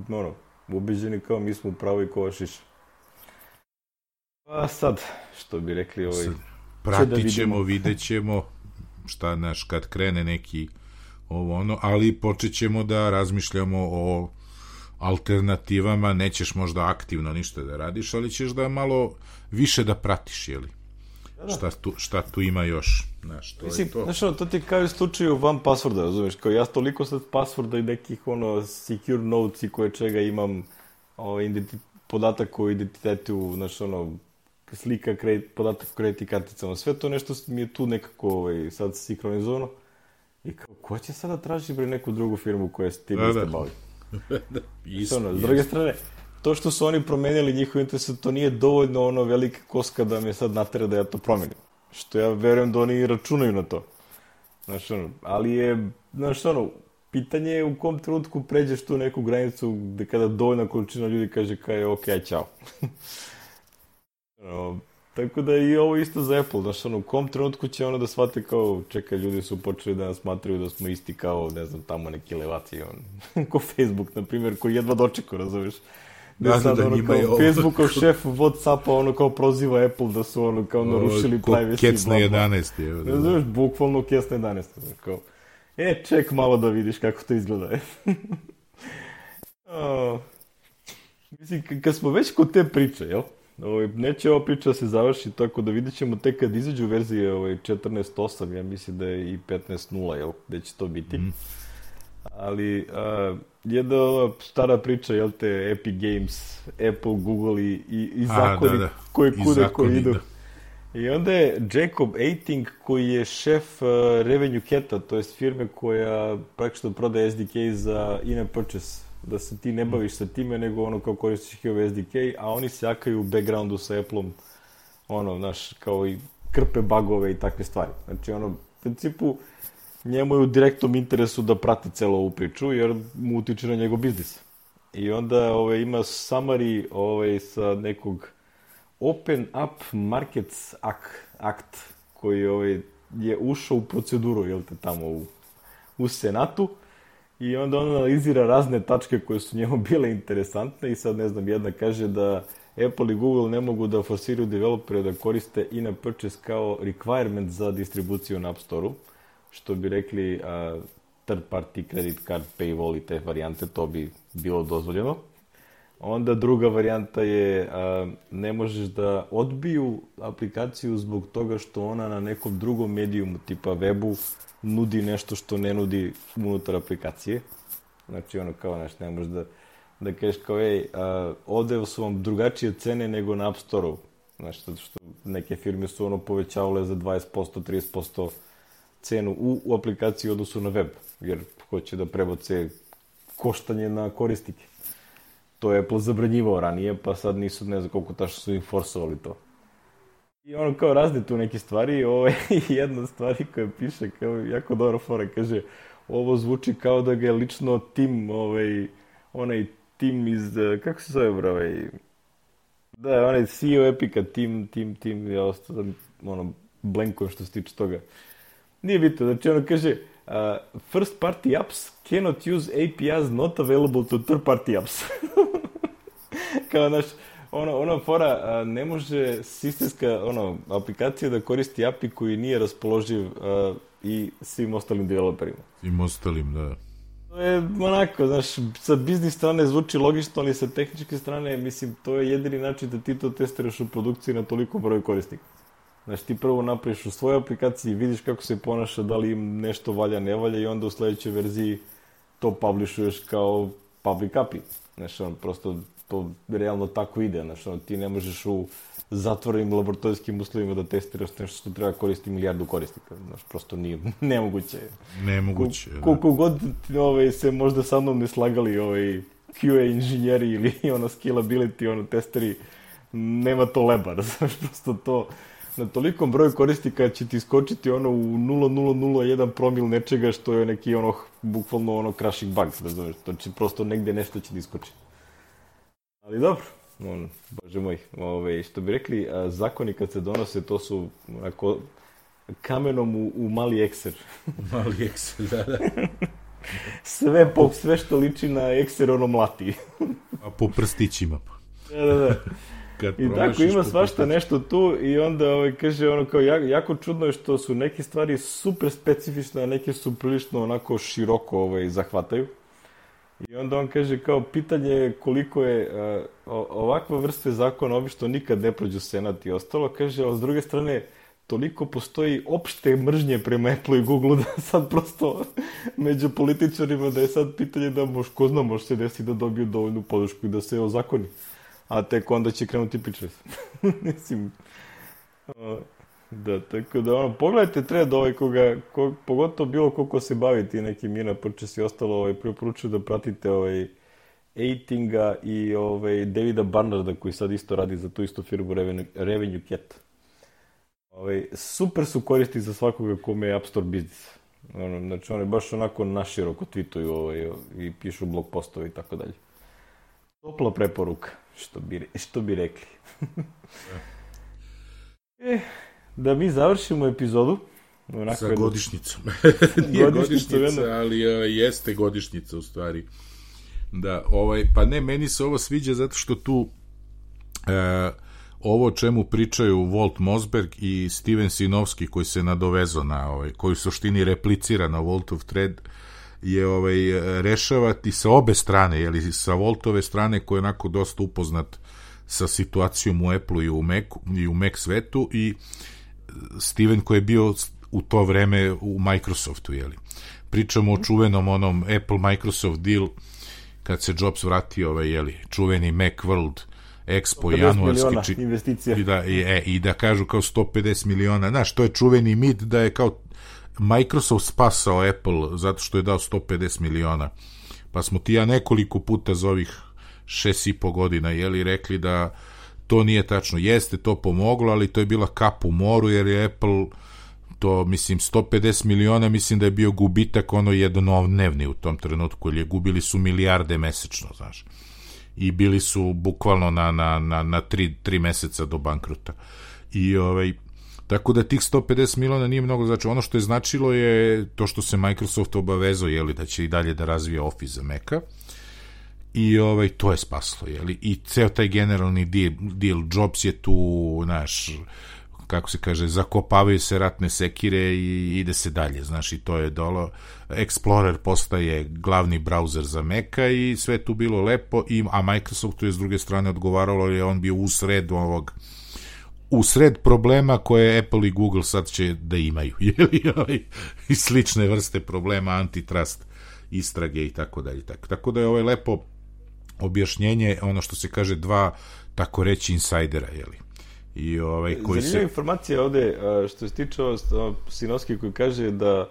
ono, ubeđeni kao mi smo u pravu i kova šiša. Pa sad, što bi rekli, ovaj, Sad, će da pratit ćemo, vidimo. vidjet ćemo šta, naš, kad krene neki ovo ono, ali počet ćemo da razmišljamo o alternativama, nećeš možda aktivno ništa da radiš, ali ćeš da malo više da pratiš, jeli? Šta tu, šta tu ima još, znaš, to Mislim, je to. znaš ono, to ti kao u slučaju van passworda, razumiješ, kao ja toliko sad passworda i nekih ono secure notes i koje čega imam ovaj, identi- podatak o identitetu, znaš ono, slika, kredit, podatak o kreditnim karticama, sve to nešto mi je tu nekako ovaj, sad sinkronizovano i kao, ko će sada traži bre neku drugu firmu koja se tim Da, isto da. bavi? Isto, Ono, s druge strane, to što su oni promenili njihov interes, to nije dovoljno ono velika koska da me sad natera da ja to promenim. Što ja verujem da oni računaju na to. Znaš, ono, ali je, znaš, ono, pitanje je u kom trenutku pređeš tu neku granicu gde kada dovoljna količina ljudi kaže kao je ok, aj, čao. Ono, tako da i ovo isto za Apple, znaš, ono, u kom trenutku će ono da shvate kao, čekaj, ljudi su počeli da nas smatraju da smo isti kao, ne znam, tamo neki levaci, on, ko Facebook, na primjer, koji jedva dočekao, razumiješ? Da, Da, sad, da, ono, njima kao je ovo- Facebookov šef Whatsappa, ono, kao proziva Apple da su, ono, kao narušili Ko privacy. kec na bla, bla. jedanaest je. Da, Ne da. znaš, bukvalno kec na jedanaest. Kao, e, ček malo da vidiš kako to izgleda. O, mislim, k- kad smo već kod te priče, jel? Ovaj, neće ova priča da se završi, tako da vidjet ćemo tek kad izađu verzije ovaj, četrnaest osam, ja mislim da je i petnaest nula, jel? Gde će to biti. Mhm. Ali, a, jedna ova stara priča, jel te, Epic Games, Apple, Google i, i, i A, zakoni da, da. koji I kude, zakoni, koji idu. da. I onda je Jacob Eiting, koji je šef uh, Revenue Cat-a, to jest firme koja praktično prodaje S D K za in-app purchase, da se ti ne baviš sa time, nego ono kao koristiš njihov S D K, a oni se jakaju u backgroundu sa Apple-om, ono, znaš, kao i krpe bagove i takve stvari. Znači, ono, u principu, njemu je u direktnom interesu da prati celu ovu priču, jer mu utiče na njegov biznis. I onda ovaj, ima summary ovaj, sa nekog Open Up Markets Act, koji ovaj, je ušao u proceduru, jel te, tamo u, u Senatu, i onda on analizira razne tačke koje su njemu bile interesantne i sad, ne znam, jedna kaže da Apple i Google ne mogu da forsiraju developere da koriste in-app purchase kao requirement za distribuciju na App Store-u, što bi rekli uh, third party credit card paywall i te varijante, to bi bilo dozvoljeno. Onda druga varijanta je a, ne možeš da odbiju aplikaciju zbog toga što ona na nekom drugom medijumu, tipa webu, nudi nešto što ne nudi unutar aplikacije. Znači ono kao, znaš, ne možeš da, da kažeš kao, ej, a, ovde su vam drugačije cene nego na App Store-u. Znači, zato što neke firme su ono povećavale za dvadeset posto, trideset posto cenu u, u aplikaciji u odnosu na web, jer hoće da prebace koštanje na korisnike. To je Apple zabranjivao ranije, pa sad nisu, ne znam koliko tačno su im forsovali to. I ono kao razne tu neke stvari, ovo je jedna stvari koja piše, kao jako dobro fora, kaže, ovo zvuči kao da ga je lično tim, ovaj, onaj tim iz, kako se zove, bro, ovaj, da, onaj C E O Epica, tim, tim, tim, ja ostao, ono, blankom što se tiče toga. Nije bitno, znači ono kaže, uh, first party apps cannot use A P Is not available to third party apps. Kao, znaš, ono, ono fora, a, ne može sistemska ono, aplikacija da koristi A P I koji nije raspoloživ a, i svim ostalim developerima. Svim ostalim, da. To je onako, znaš, sa biznis strane zvuči logično, ali sa tehničke strane, mislim, to je jedini način da ti to testiraš u produkciji na toliko broj korisnika. Znači, ti prvo napraviš u svojoj aplikaciji, vidiš kako se ponaša, da li im nešto valja, ne valja, i onda u sledećoj verziji to publishuješ kao public A P I. Znači, on, prosto to realno tako ide. Znači, on, ti ne možeš u zatvorenim laboratorijskim uslovima da testiraš nešto što treba koristiti milijardu korisnika. Znači, prosto nije nemoguće. Nemoguće, da. Koliko god ovaj, se možda sa mnom ne slagali ovaj, Q A inženjeri ili ono scalability, ono testeri, nema to leba, znaš, prosto to, na tolikom broju korisnika će ti skočiti ono u nula zarez nula nula jedan promil nečega što je neki ono, bukvalno ono crashing bug, razumeš, to će prosto negde nešto će ti skočiti. Ali dobro, ono, bože moj, ove, što bi rekli, a, zakoni kad se donose, to su ako, kamenom u, u mali ekser. Mali ekser, da, da. Sve, po, sve što liči na ekser, ono mlati. A po prstićima. Da, da, da. I tako ima svašta nešto tu i onda ovaj, kaže ono kao jako čudno je što su neke stvari super specifične, a neke su prilično onako široko ovaj, zahvataju. I onda on kaže kao pitanje je koliko je uh, ovakva vrste zakona obično nikad ne prođu senat i ostalo, kaže, a s druge strane toliko postoji opšte mržnje prema Apple i Google da sad prosto među političarima da je sad pitanje da mož, ko zna, može se desiti da dobiju dovoljnu podršku i da se ozakoni. A tek onda će krenuti pričati. Mislim, da, tako da, ono, pogledajte thread ovaj koga, ko, pogotovo bilo koliko se baviti nekim Mina Purchase i ostalo, ovaj, preporučuju da pratite ovaj Eitinga i ovaj Davida Barnarda koji sad isto radi za tu istu firmu Revenue, Revenue Cat. Ovaj, super su koristi za svakoga kome je App Store biznis. Ono, znači, oni baš onako naširoko tweetuju ovaj, i pišu blog postove i tako dalje. Topla preporuka, što bi, što bi rekli. e, da mi završimo epizodu. Onako sa jedno... godišnjicom. Nije godišnjica, jedno... ali uh, jeste godišnjica u stvari. Da, ovaj, pa ne, meni se ovo sviđa zato što tu uh, ovo o čemu pričaju Walt Mossberg i Steven Sinovski koji se nadovezao na ovaj, koji u suštini replicira na Waltov thread, je ovaj, rešavati sa obe strane, jeli, sa Waltove strane koji je onako dosta upoznat sa situacijom u Apple-u i u Macu, i u Mac svetu, i Steven koji je bio u to vreme u Microsoftu, jeli. Pričamo o čuvenom onom Apple-Microsoft deal kad se Jobs vratio, ovaj, jeli, čuveni Macworld Expo januarski či... investicija. I da, i, e, i da kažu kao sto pedeset miliona, znaš, to je čuveni mit da je kao Microsoft spasao Apple zato što je dao sto pedeset miliona. Pa smo ti ja nekoliko puta za ovih šest i po godina, jeli, rekli da to nije tačno. Jeste to pomoglo, ali to je bila kap u moru, jer je Apple to, mislim, sto pedeset miliona, mislim da je bio gubitak ono jednodnevni u tom trenutku, jer je gubili su milijarde mesečno, znaš. I bili su bukvalno na, na, na, na tri, tri meseca do bankruta. I ovaj, tako da tih sto pedeset miliona nije mnogo znači. Ono što je značilo je to što se Microsoft obavezao, jeli, da će i dalje da razvije Office za Maca. I ovaj, to je spaslo, jeli. I ceo taj generalni deal, deal Jobs je tu, znaš, kako se kaže, zakopavaju se ratne sekire i ide se dalje, znaš, i to je dolo. Explorer postaje glavni browser za Maca i sve tu bilo lepo, i, a Microsoftu je s druge strane odgovaralo, je on bio u sred ovog u sred problema koje Apple i Google sad će da imaju, jeli, i slične vrste problema, antitrust, istrage i tako dalje. Tako, tako da je ovo lepo objašnjenje, ono što se kaže, dva, tako reći, insajdera, jeli. I ovaj, koji zanimljiva se... informacija ovde, što se tiče Sinovski koji kaže da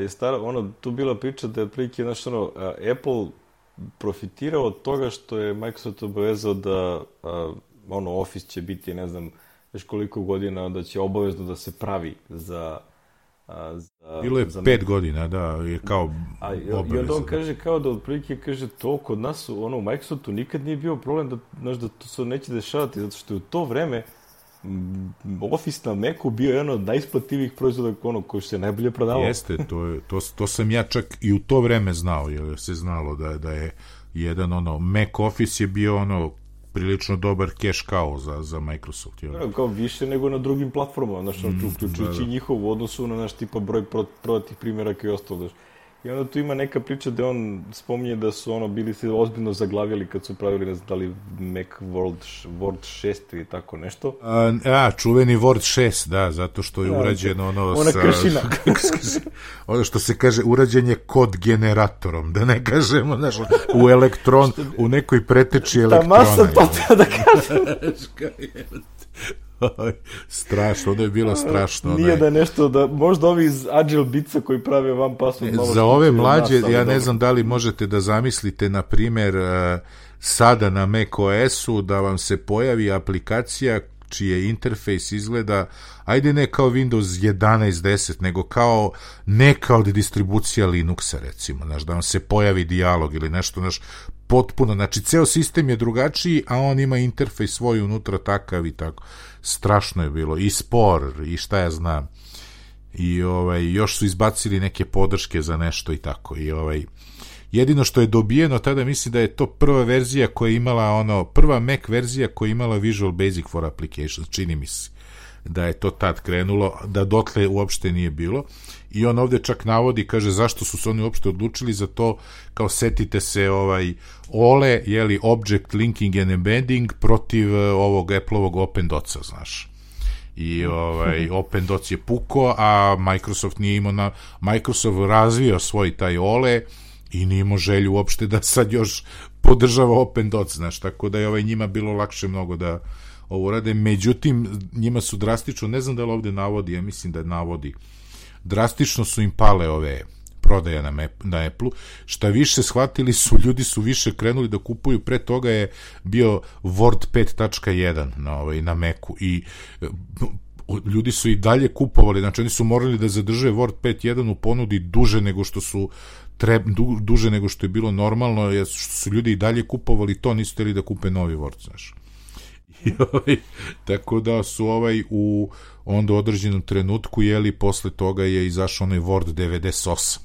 je stara, ono, tu bila priča da je otprilike, znaš, ono, Apple profitirao od toga što je Microsoft obavezao da ono, Office će biti, ne znam, već koliko godina, da će obavezno da se pravi za... za bilo je za pet godina, da, je kao a, obavezno. I onda on kaže kao da otprilike kaže to kod nas, ono, u Microsoftu nikad nije bio problem da, znaš, da to se neće dešavati, zato što je u to vreme Office na Macu bio jedan od najisplativijih proizvoda, ono, koji se najbolje prodavao. Jeste, to, je, to, to sam ja čak i u to vreme znao, jer se znalo da, da je jedan, ono, Mac Office je bio, ono, prilično dobar cash cow za, za Microsoft. Jel? Ja, kao više nego na drugim platformama, znaš, mm, uključujući da, da. njihov u odnosu na naš tipa broj prodatih primjeraka i ostalo, znaš. I onda tu ima neka priča da on spominje da su ono bili se ozbiljno zaglavili kad su pravili, ne znam, da li Macworld Word šest ili tako nešto. A, a čuveni Word šest, da, zato što je da, urađeno ono ona sa... kršina. ono što se kaže, urađen je kod generatorom, da ne kažemo, znaš, u elektron, u nekoj preteči elektrona. Ta masa to treba da kažem. Strašno, ono je bilo strašno. Nije ne. Da nešto, da možda ovi iz Agile Bitsa koji prave van password. E, za ove mlađe, nas, ja ne dobro. znam da li možete da zamislite, na primjer, sada na macOS-u da vam se pojavi aplikacija čije interfejs izgleda, ajde ne kao Windows jedanaest deset, nego kao neka od distribucija Linuxa, recimo, znaš, da vam se pojavi dijalog ili nešto, znaš, potpuno, znači, ceo sistem je drugačiji, a on ima interfejs svoj unutra takav i tako. Strašno je bilo, i spor, i šta ja znam. I ovaj, još su izbacili neke podrške za nešto i tako, i ovaj, jedino što je dobijeno tada, mislim da je to prva verzija koja je imala ono, prva Mac verzija koja je imala Visual Basic for Applications, čini mi se da je to tad krenulo, da dotle uopšte nije bilo, i on ovde čak navodi, kaže, zašto su se oni uopšte odlučili za to, kao setite se ovaj O L E, jeli, Object Linking and Embedding protiv ovog Apple-ovog OpenDOTS-a, znaš. I ovaj, OpenDOTS je puko, a Microsoft nije imao na, Microsoft razvio svoj taj O L E i nije imao želju uopšte da sad još podržava OpenDOTS, znaš, tako da je ovaj njima bilo lakše mnogo da ovo rade, međutim, njima su drastično, ne znam da li ovde navodi, ja mislim da navodi, drastično su im pale ove prodaje na, map, na Apple-u, šta više shvatili su, ljudi su više krenuli da kupuju, pre toga je bio Word pet tačka jedan na, ovaj, na Macu i ljudi su i dalje kupovali, znači oni su morali da zadrže Word pet tačka jedan u ponudi duže nego što su Treb, du, duže nego što je bilo normalno, jer su ljudi i dalje kupovali to, nisu htjeli da kupe novi Word, znaš. I ovaj, tako da su ovaj u onda u određenom trenutku, jeli, posle toga je izašao onaj Word devedeset osam,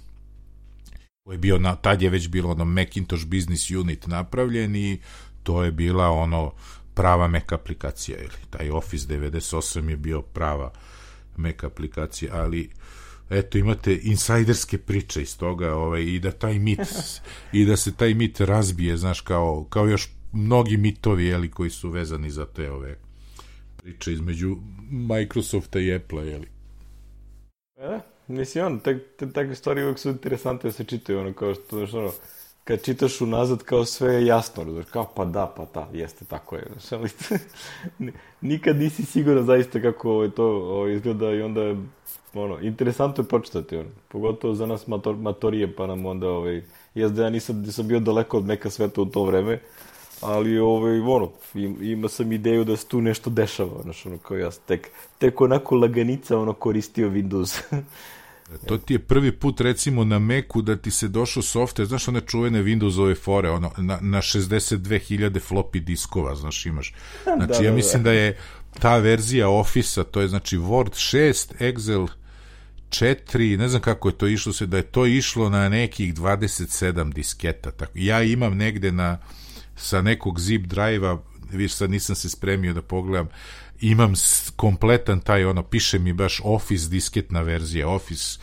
koji je bio, na, tad je već bilo ono Macintosh Business Unit napravljen i to je bila ono prava Mac aplikacija, jeli. Taj Office devedeset osam je bio prava Mac aplikacija, ali eto, imate insajderske priče iz toga, ovaj, i da taj mit i da se taj mit razbije, znaš, kao, kao još mnogi mitovi, jeli, koji su vezani za te ove priče između Microsofta i Apple-a, jeli. E, mislim, ono, te, te takve stvari uvijek su interesantne da se čitaju, ono, kao što, znaš, ono, kad čitaš unazad, kao sve je jasno, znaš, kao, pa da, pa da, jeste, tako je, znaš, ali nikad nisi siguran zaista kako ovaj, to ovaj, izgleda i onda, ono, interesantno je počitati, ono, pogotovo za nas mator, matorije, pa nam onda, ovaj, jes da ja nisam, nisam bio daleko od neka sveta u to vreme, ali, ovaj, ono, ima sam ideju da se tu nešto dešava, znaš, ono, kao ja tek, tek onako laganica, ono, koristio Windows. To ti je prvi put, recimo, na Macu da ti se došao software, znaš, one čuvene Windowsove fore, ono, na, na šezdeset dve hiljade floppy diskova, znaš, imaš. Znači, da, ja da, mislim da. da je ta verzija Office-a, to je, znači, Word šest, Excel četiri, ne znam kako je to išlo se, da je to išlo na nekih dvadeset sedam disketa. Tako. Ja imam negde na, sa nekog zip drive-a, viš, sad nisam se spremio da pogledam, imam kompletan taj, ono, piše mi baš Office disketna verzija, Office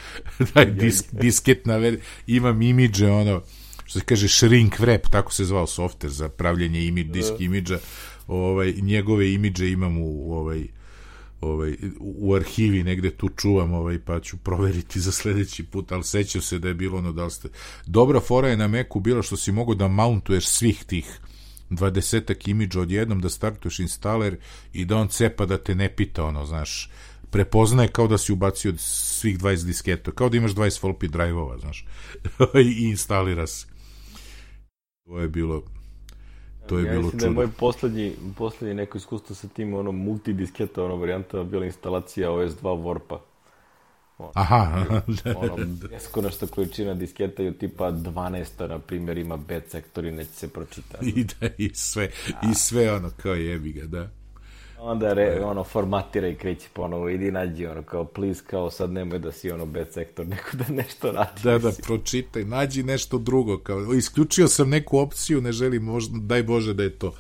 taj disk, disketna verzija, imam imidže, ono, što se kaže shrink wrap, tako se zvao software za pravljenje imidž, disk imidža, ovaj, njegove imidže imam u, ovaj, ovaj, u arhivi, negde tu čuvam, ovaj, pa ću proveriti za sledeći put, ali sećam se da je bilo ono, da li ste... Dobra fora je na Macu bilo što si mogo da mountuješ svih tih dvadesetak imidža odjednom, da startuješ instaler i da on cepa da te ne pita, ono, znaš, prepoznaje kao da si ubacio svih dvadeset disketa, kao da imaš dvadeset floppy drive-ova, znaš, i instalira se. To je bilo to je ja bilo mislim čudo. Da je moj poslednji, poslednji neko iskustvo sa tim, ono, multidisketa, ono, varijanta bila instalacija O S dva Warpa. Ono, aha, ono, beskonačna količina disketa i tipa dvanaest, na primjer, ima B sektor i neće se pročitati. I da, i sve, i sve ono, kao jebi ga, da. Onda re, ono, formatira i kreći ponovo, idi nađi, ono, kao, please, kao, sad nemoj da si, ono, B sektor, neko da nešto radi. Da, da, pročitaj, nađi nešto drugo, kao, isključio sam neku opciju, ne želim, možda, daj Bože da je to.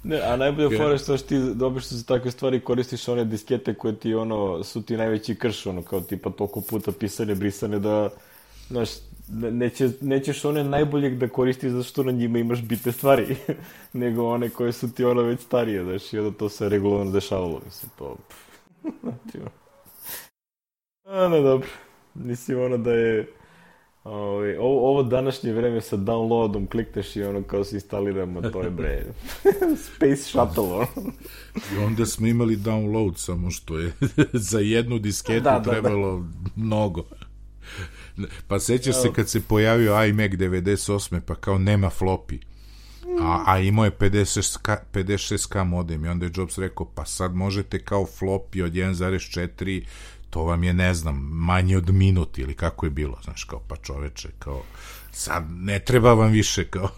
Ne, a najbolje fora što ti dobiš što za takve stvari koristiš one diskete koje ti, ono, su ti najveći krš, ono, kao, tipa, toliko puta pisane, brisane, da, znaš, neće, nećeš one najboljeg da koristiš zato što na njima imaš bitne stvari, nego one koje su ti, ono, već starije, znaš, i onda to se regularno dešavalo, mislim, to, znači, a, ne, dobro, mislim, ono, da je, ovo, ovo današnje vreme sa downloadom klikneš i ono, kao se instaliramo, to je, bre, Space Shuttle, ono. I onda smo imali download, samo što je za jednu disketu da, da, trebalo da. mnogo. Pa sećaš se kad se pojavio iMac devedeset osam, pa kao nema floppy. A, a imao je pedeset šest ka modem i onda je Jobs rekao, pa sad možete kao floppy od jedan zarez četiri, to vam je, ne znam, manje od minut ili kako je bilo, znaš, kao, pa čoveče, kao, sad ne treba vam više, kao.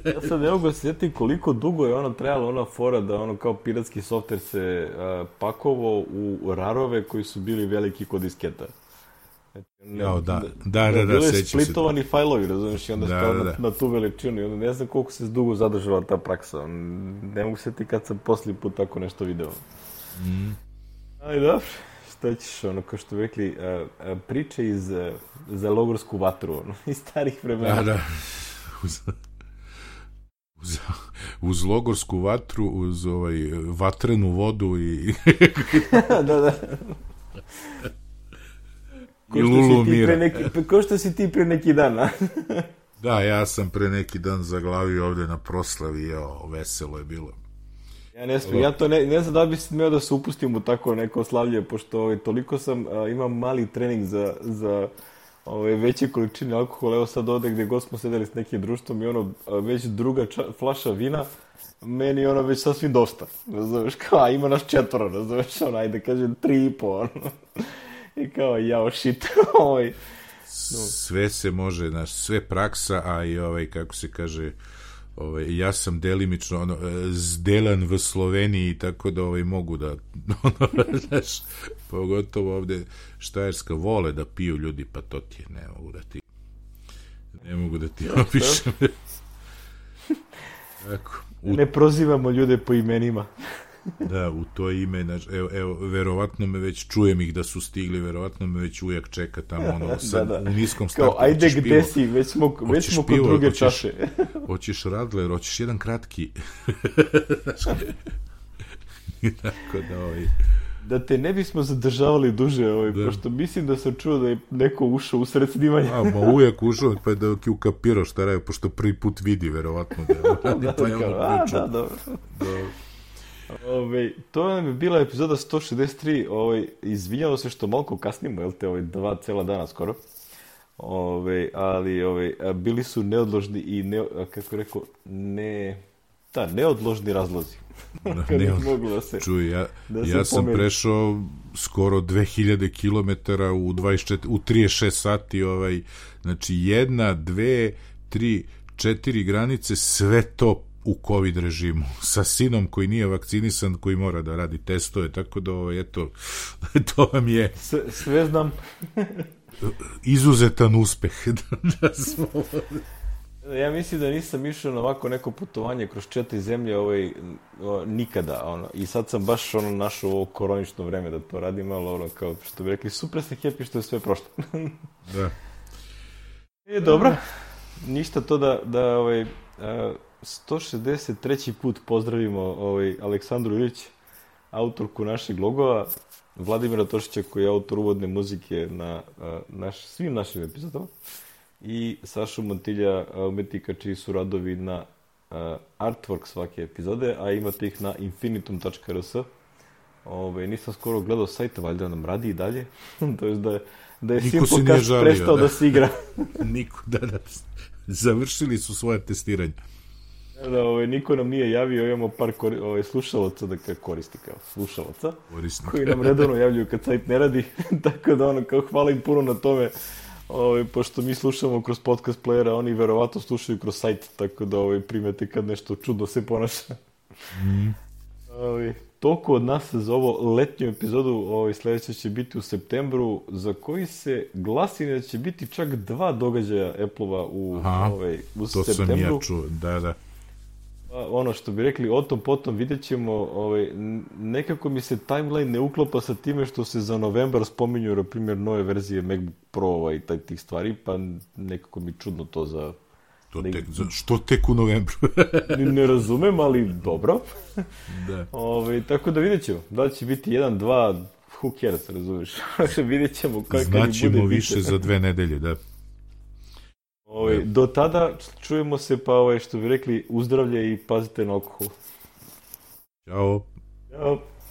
Ja sad ne mogu se sjetiti koliko dugo je ono trajalo, ona fora da ono kao piratski softver se uh, pakovao u rarove koji su bili veliki kod disketa. Ne, Jao, da, da, da, da, bile sećam se. splitovani fajlovi, razumiješ, i onda da, stao da, da. na, na tu veličinu i onda ne znam koliko se dugo zadržala ta praksa. Ne mogu se ti kad sam poslije put tako nešto video. Mm. Ali dobro, šta ćeš, ono, kao što bi rekli, uh, uh, priče iz, uh, za logorsku vatru, ono, iz starih vremena. Da, da. Uz, uz, uz logorsku vatru, uz ovaj, vatrenu vodu i... da, da. Ko što, si ti pre neki, ko što si ti pre neki dan, a? Da, ja sam pre neki dan zaglavio ovde na proslavi, jo, veselo je bilo. Ja ne smijem, ja to ne, ne znam da bi smeo da se upustim u tako neko slavlje, pošto ovaj, toliko sam, a, imam mali trening za, za ovaj, veće količine alkohola, evo sad ovde gde god smo sedeli s nekim društvom i ono, a, već druga ča, flaša vina, meni ono već sasvim dosta, razumeš, kao, a ima nas četvoro, razumeš, ono, ajde kažem, tri i po, ono. I kao, jao, shit, ovaj. No. Sve se može, znaš, sve praksa, a i ovaj, kako se kaže, ovaj, ja sam delimično, ono, zdelan v Sloveniji, tako da ovaj, mogu da, ono, znaš, pogotovo ovde Štajerska vole da piju ljudi, pa to ti je, ne mogu da ti, ne mogu da ti opišem. Tako. U... Ne prozivamo ljude po imenima. Da, u to ime, znači, evo, evo, verovatno me već, čujem ih da su stigli, verovatno me već ujak čeka tamo, ono, sad, da, da. U niskom startu. Kao, ajde gde pivo, si, već smo, već smo kod druge hoćeš, čaše. Hoćeš Radler, hoćeš jedan kratki. Tako da, ovaj... Da te ne bismo zadržavali duže, ovaj, da. Pošto mislim da sam čuo da je neko ušao u sred snimanja. A, ma uvijek ušao, pa je da ki ukapirao šta radi, pošto prvi put vidi, verovatno. Da, da, pa je ono a, da, dobro. Da. Ove, to nam je bila epizoda sto šezdeset tri, ovaj, izvinjamo se što malko kasnimo, jel te, ovaj, dva cela dana skoro, ove, ali ovaj, bili su neodložni i, ne, kako rekao, ne, da, neodložni razlozi. Da, ne, mogu da se, čuj, ja, da ja sam pomeri. Prešao skoro dve hiljade kilometara u, u trideset šest sati, ovaj, znači jedna, dve, tri, četiri granice, sve to u COVID režimu, sa sinom koji nije vakcinisan, koji mora da radi testove, tako da, ovo, eto, to vam je... Sve, sve znam. Izuzetan uspeh. Da smo... Ja mislim da nisam išao na ovako neko putovanje kroz četiri zemlje ovaj, o, nikada, ono, i sad sam baš ono našao ovo koronično vreme da to radim, ali ono, kao što bi rekli, super sam happy što je sve prošlo. Da. E, dobro, ništa to da, da ovaj, a, sto šezdeset treći put pozdravimo ovaj, Aleksandru Ilić, autorku našeg logova, Vladimira Tošića koji je autor uvodne muzike na a, naš, svim našim epizodama i Sašu Montilja, umetnika čiji su radovi na a, artwork svake epizode, a imate ih na infinitum tačka r s. Ove, nisam skoro gledao sajta, valjda nam radi i dalje, to je da, da je Simplecast prestao da, da se igra. Niko, da, da, završili su svoje testiranje. Da, ovaj, niko nam nije javio, imamo par kori, ovaj, slušalaca, da koristi kao slušalaca, Korisnik. Koji nam redovno javljaju kad sajt ne radi, tako da ono, kao hvala im puno na tome, ovaj, pošto mi slušamo kroz podcast playera, oni verovatno slušaju kroz sajt, tako da ovaj, primete kad nešto čudno se ponaša. Mm. Ovaj, toliko od nas za ovo letnju epizodu, ovaj, sljedeća će biti u septembru, za koji se glasi da će biti čak dva događaja Apple-ova u, ovaj, u to septembru. To sam ja čuo, da, da. Ono što bi rekli, o tom potom vidjet ćemo, ovaj, nekako mi se timeline ne uklopa sa time što se za novembar spominju, na primjer, nove verzije MacBook Pro i taj tih stvari, pa nekako mi čudno to za... To tek, za, što tek u novembru? Ne razumem, ali dobro. Da. Ove, tako da vidjet ćemo. Da li će biti jedan, dva, who cares, razumiješ? Vidjet ćemo kako Znaćemo bude više biti. Za dve nedelje, da. Ove, do tada čujemo se, pa ove, što bi rekli, uzdravlje i pazite na alkohol. Ćao. Ćao.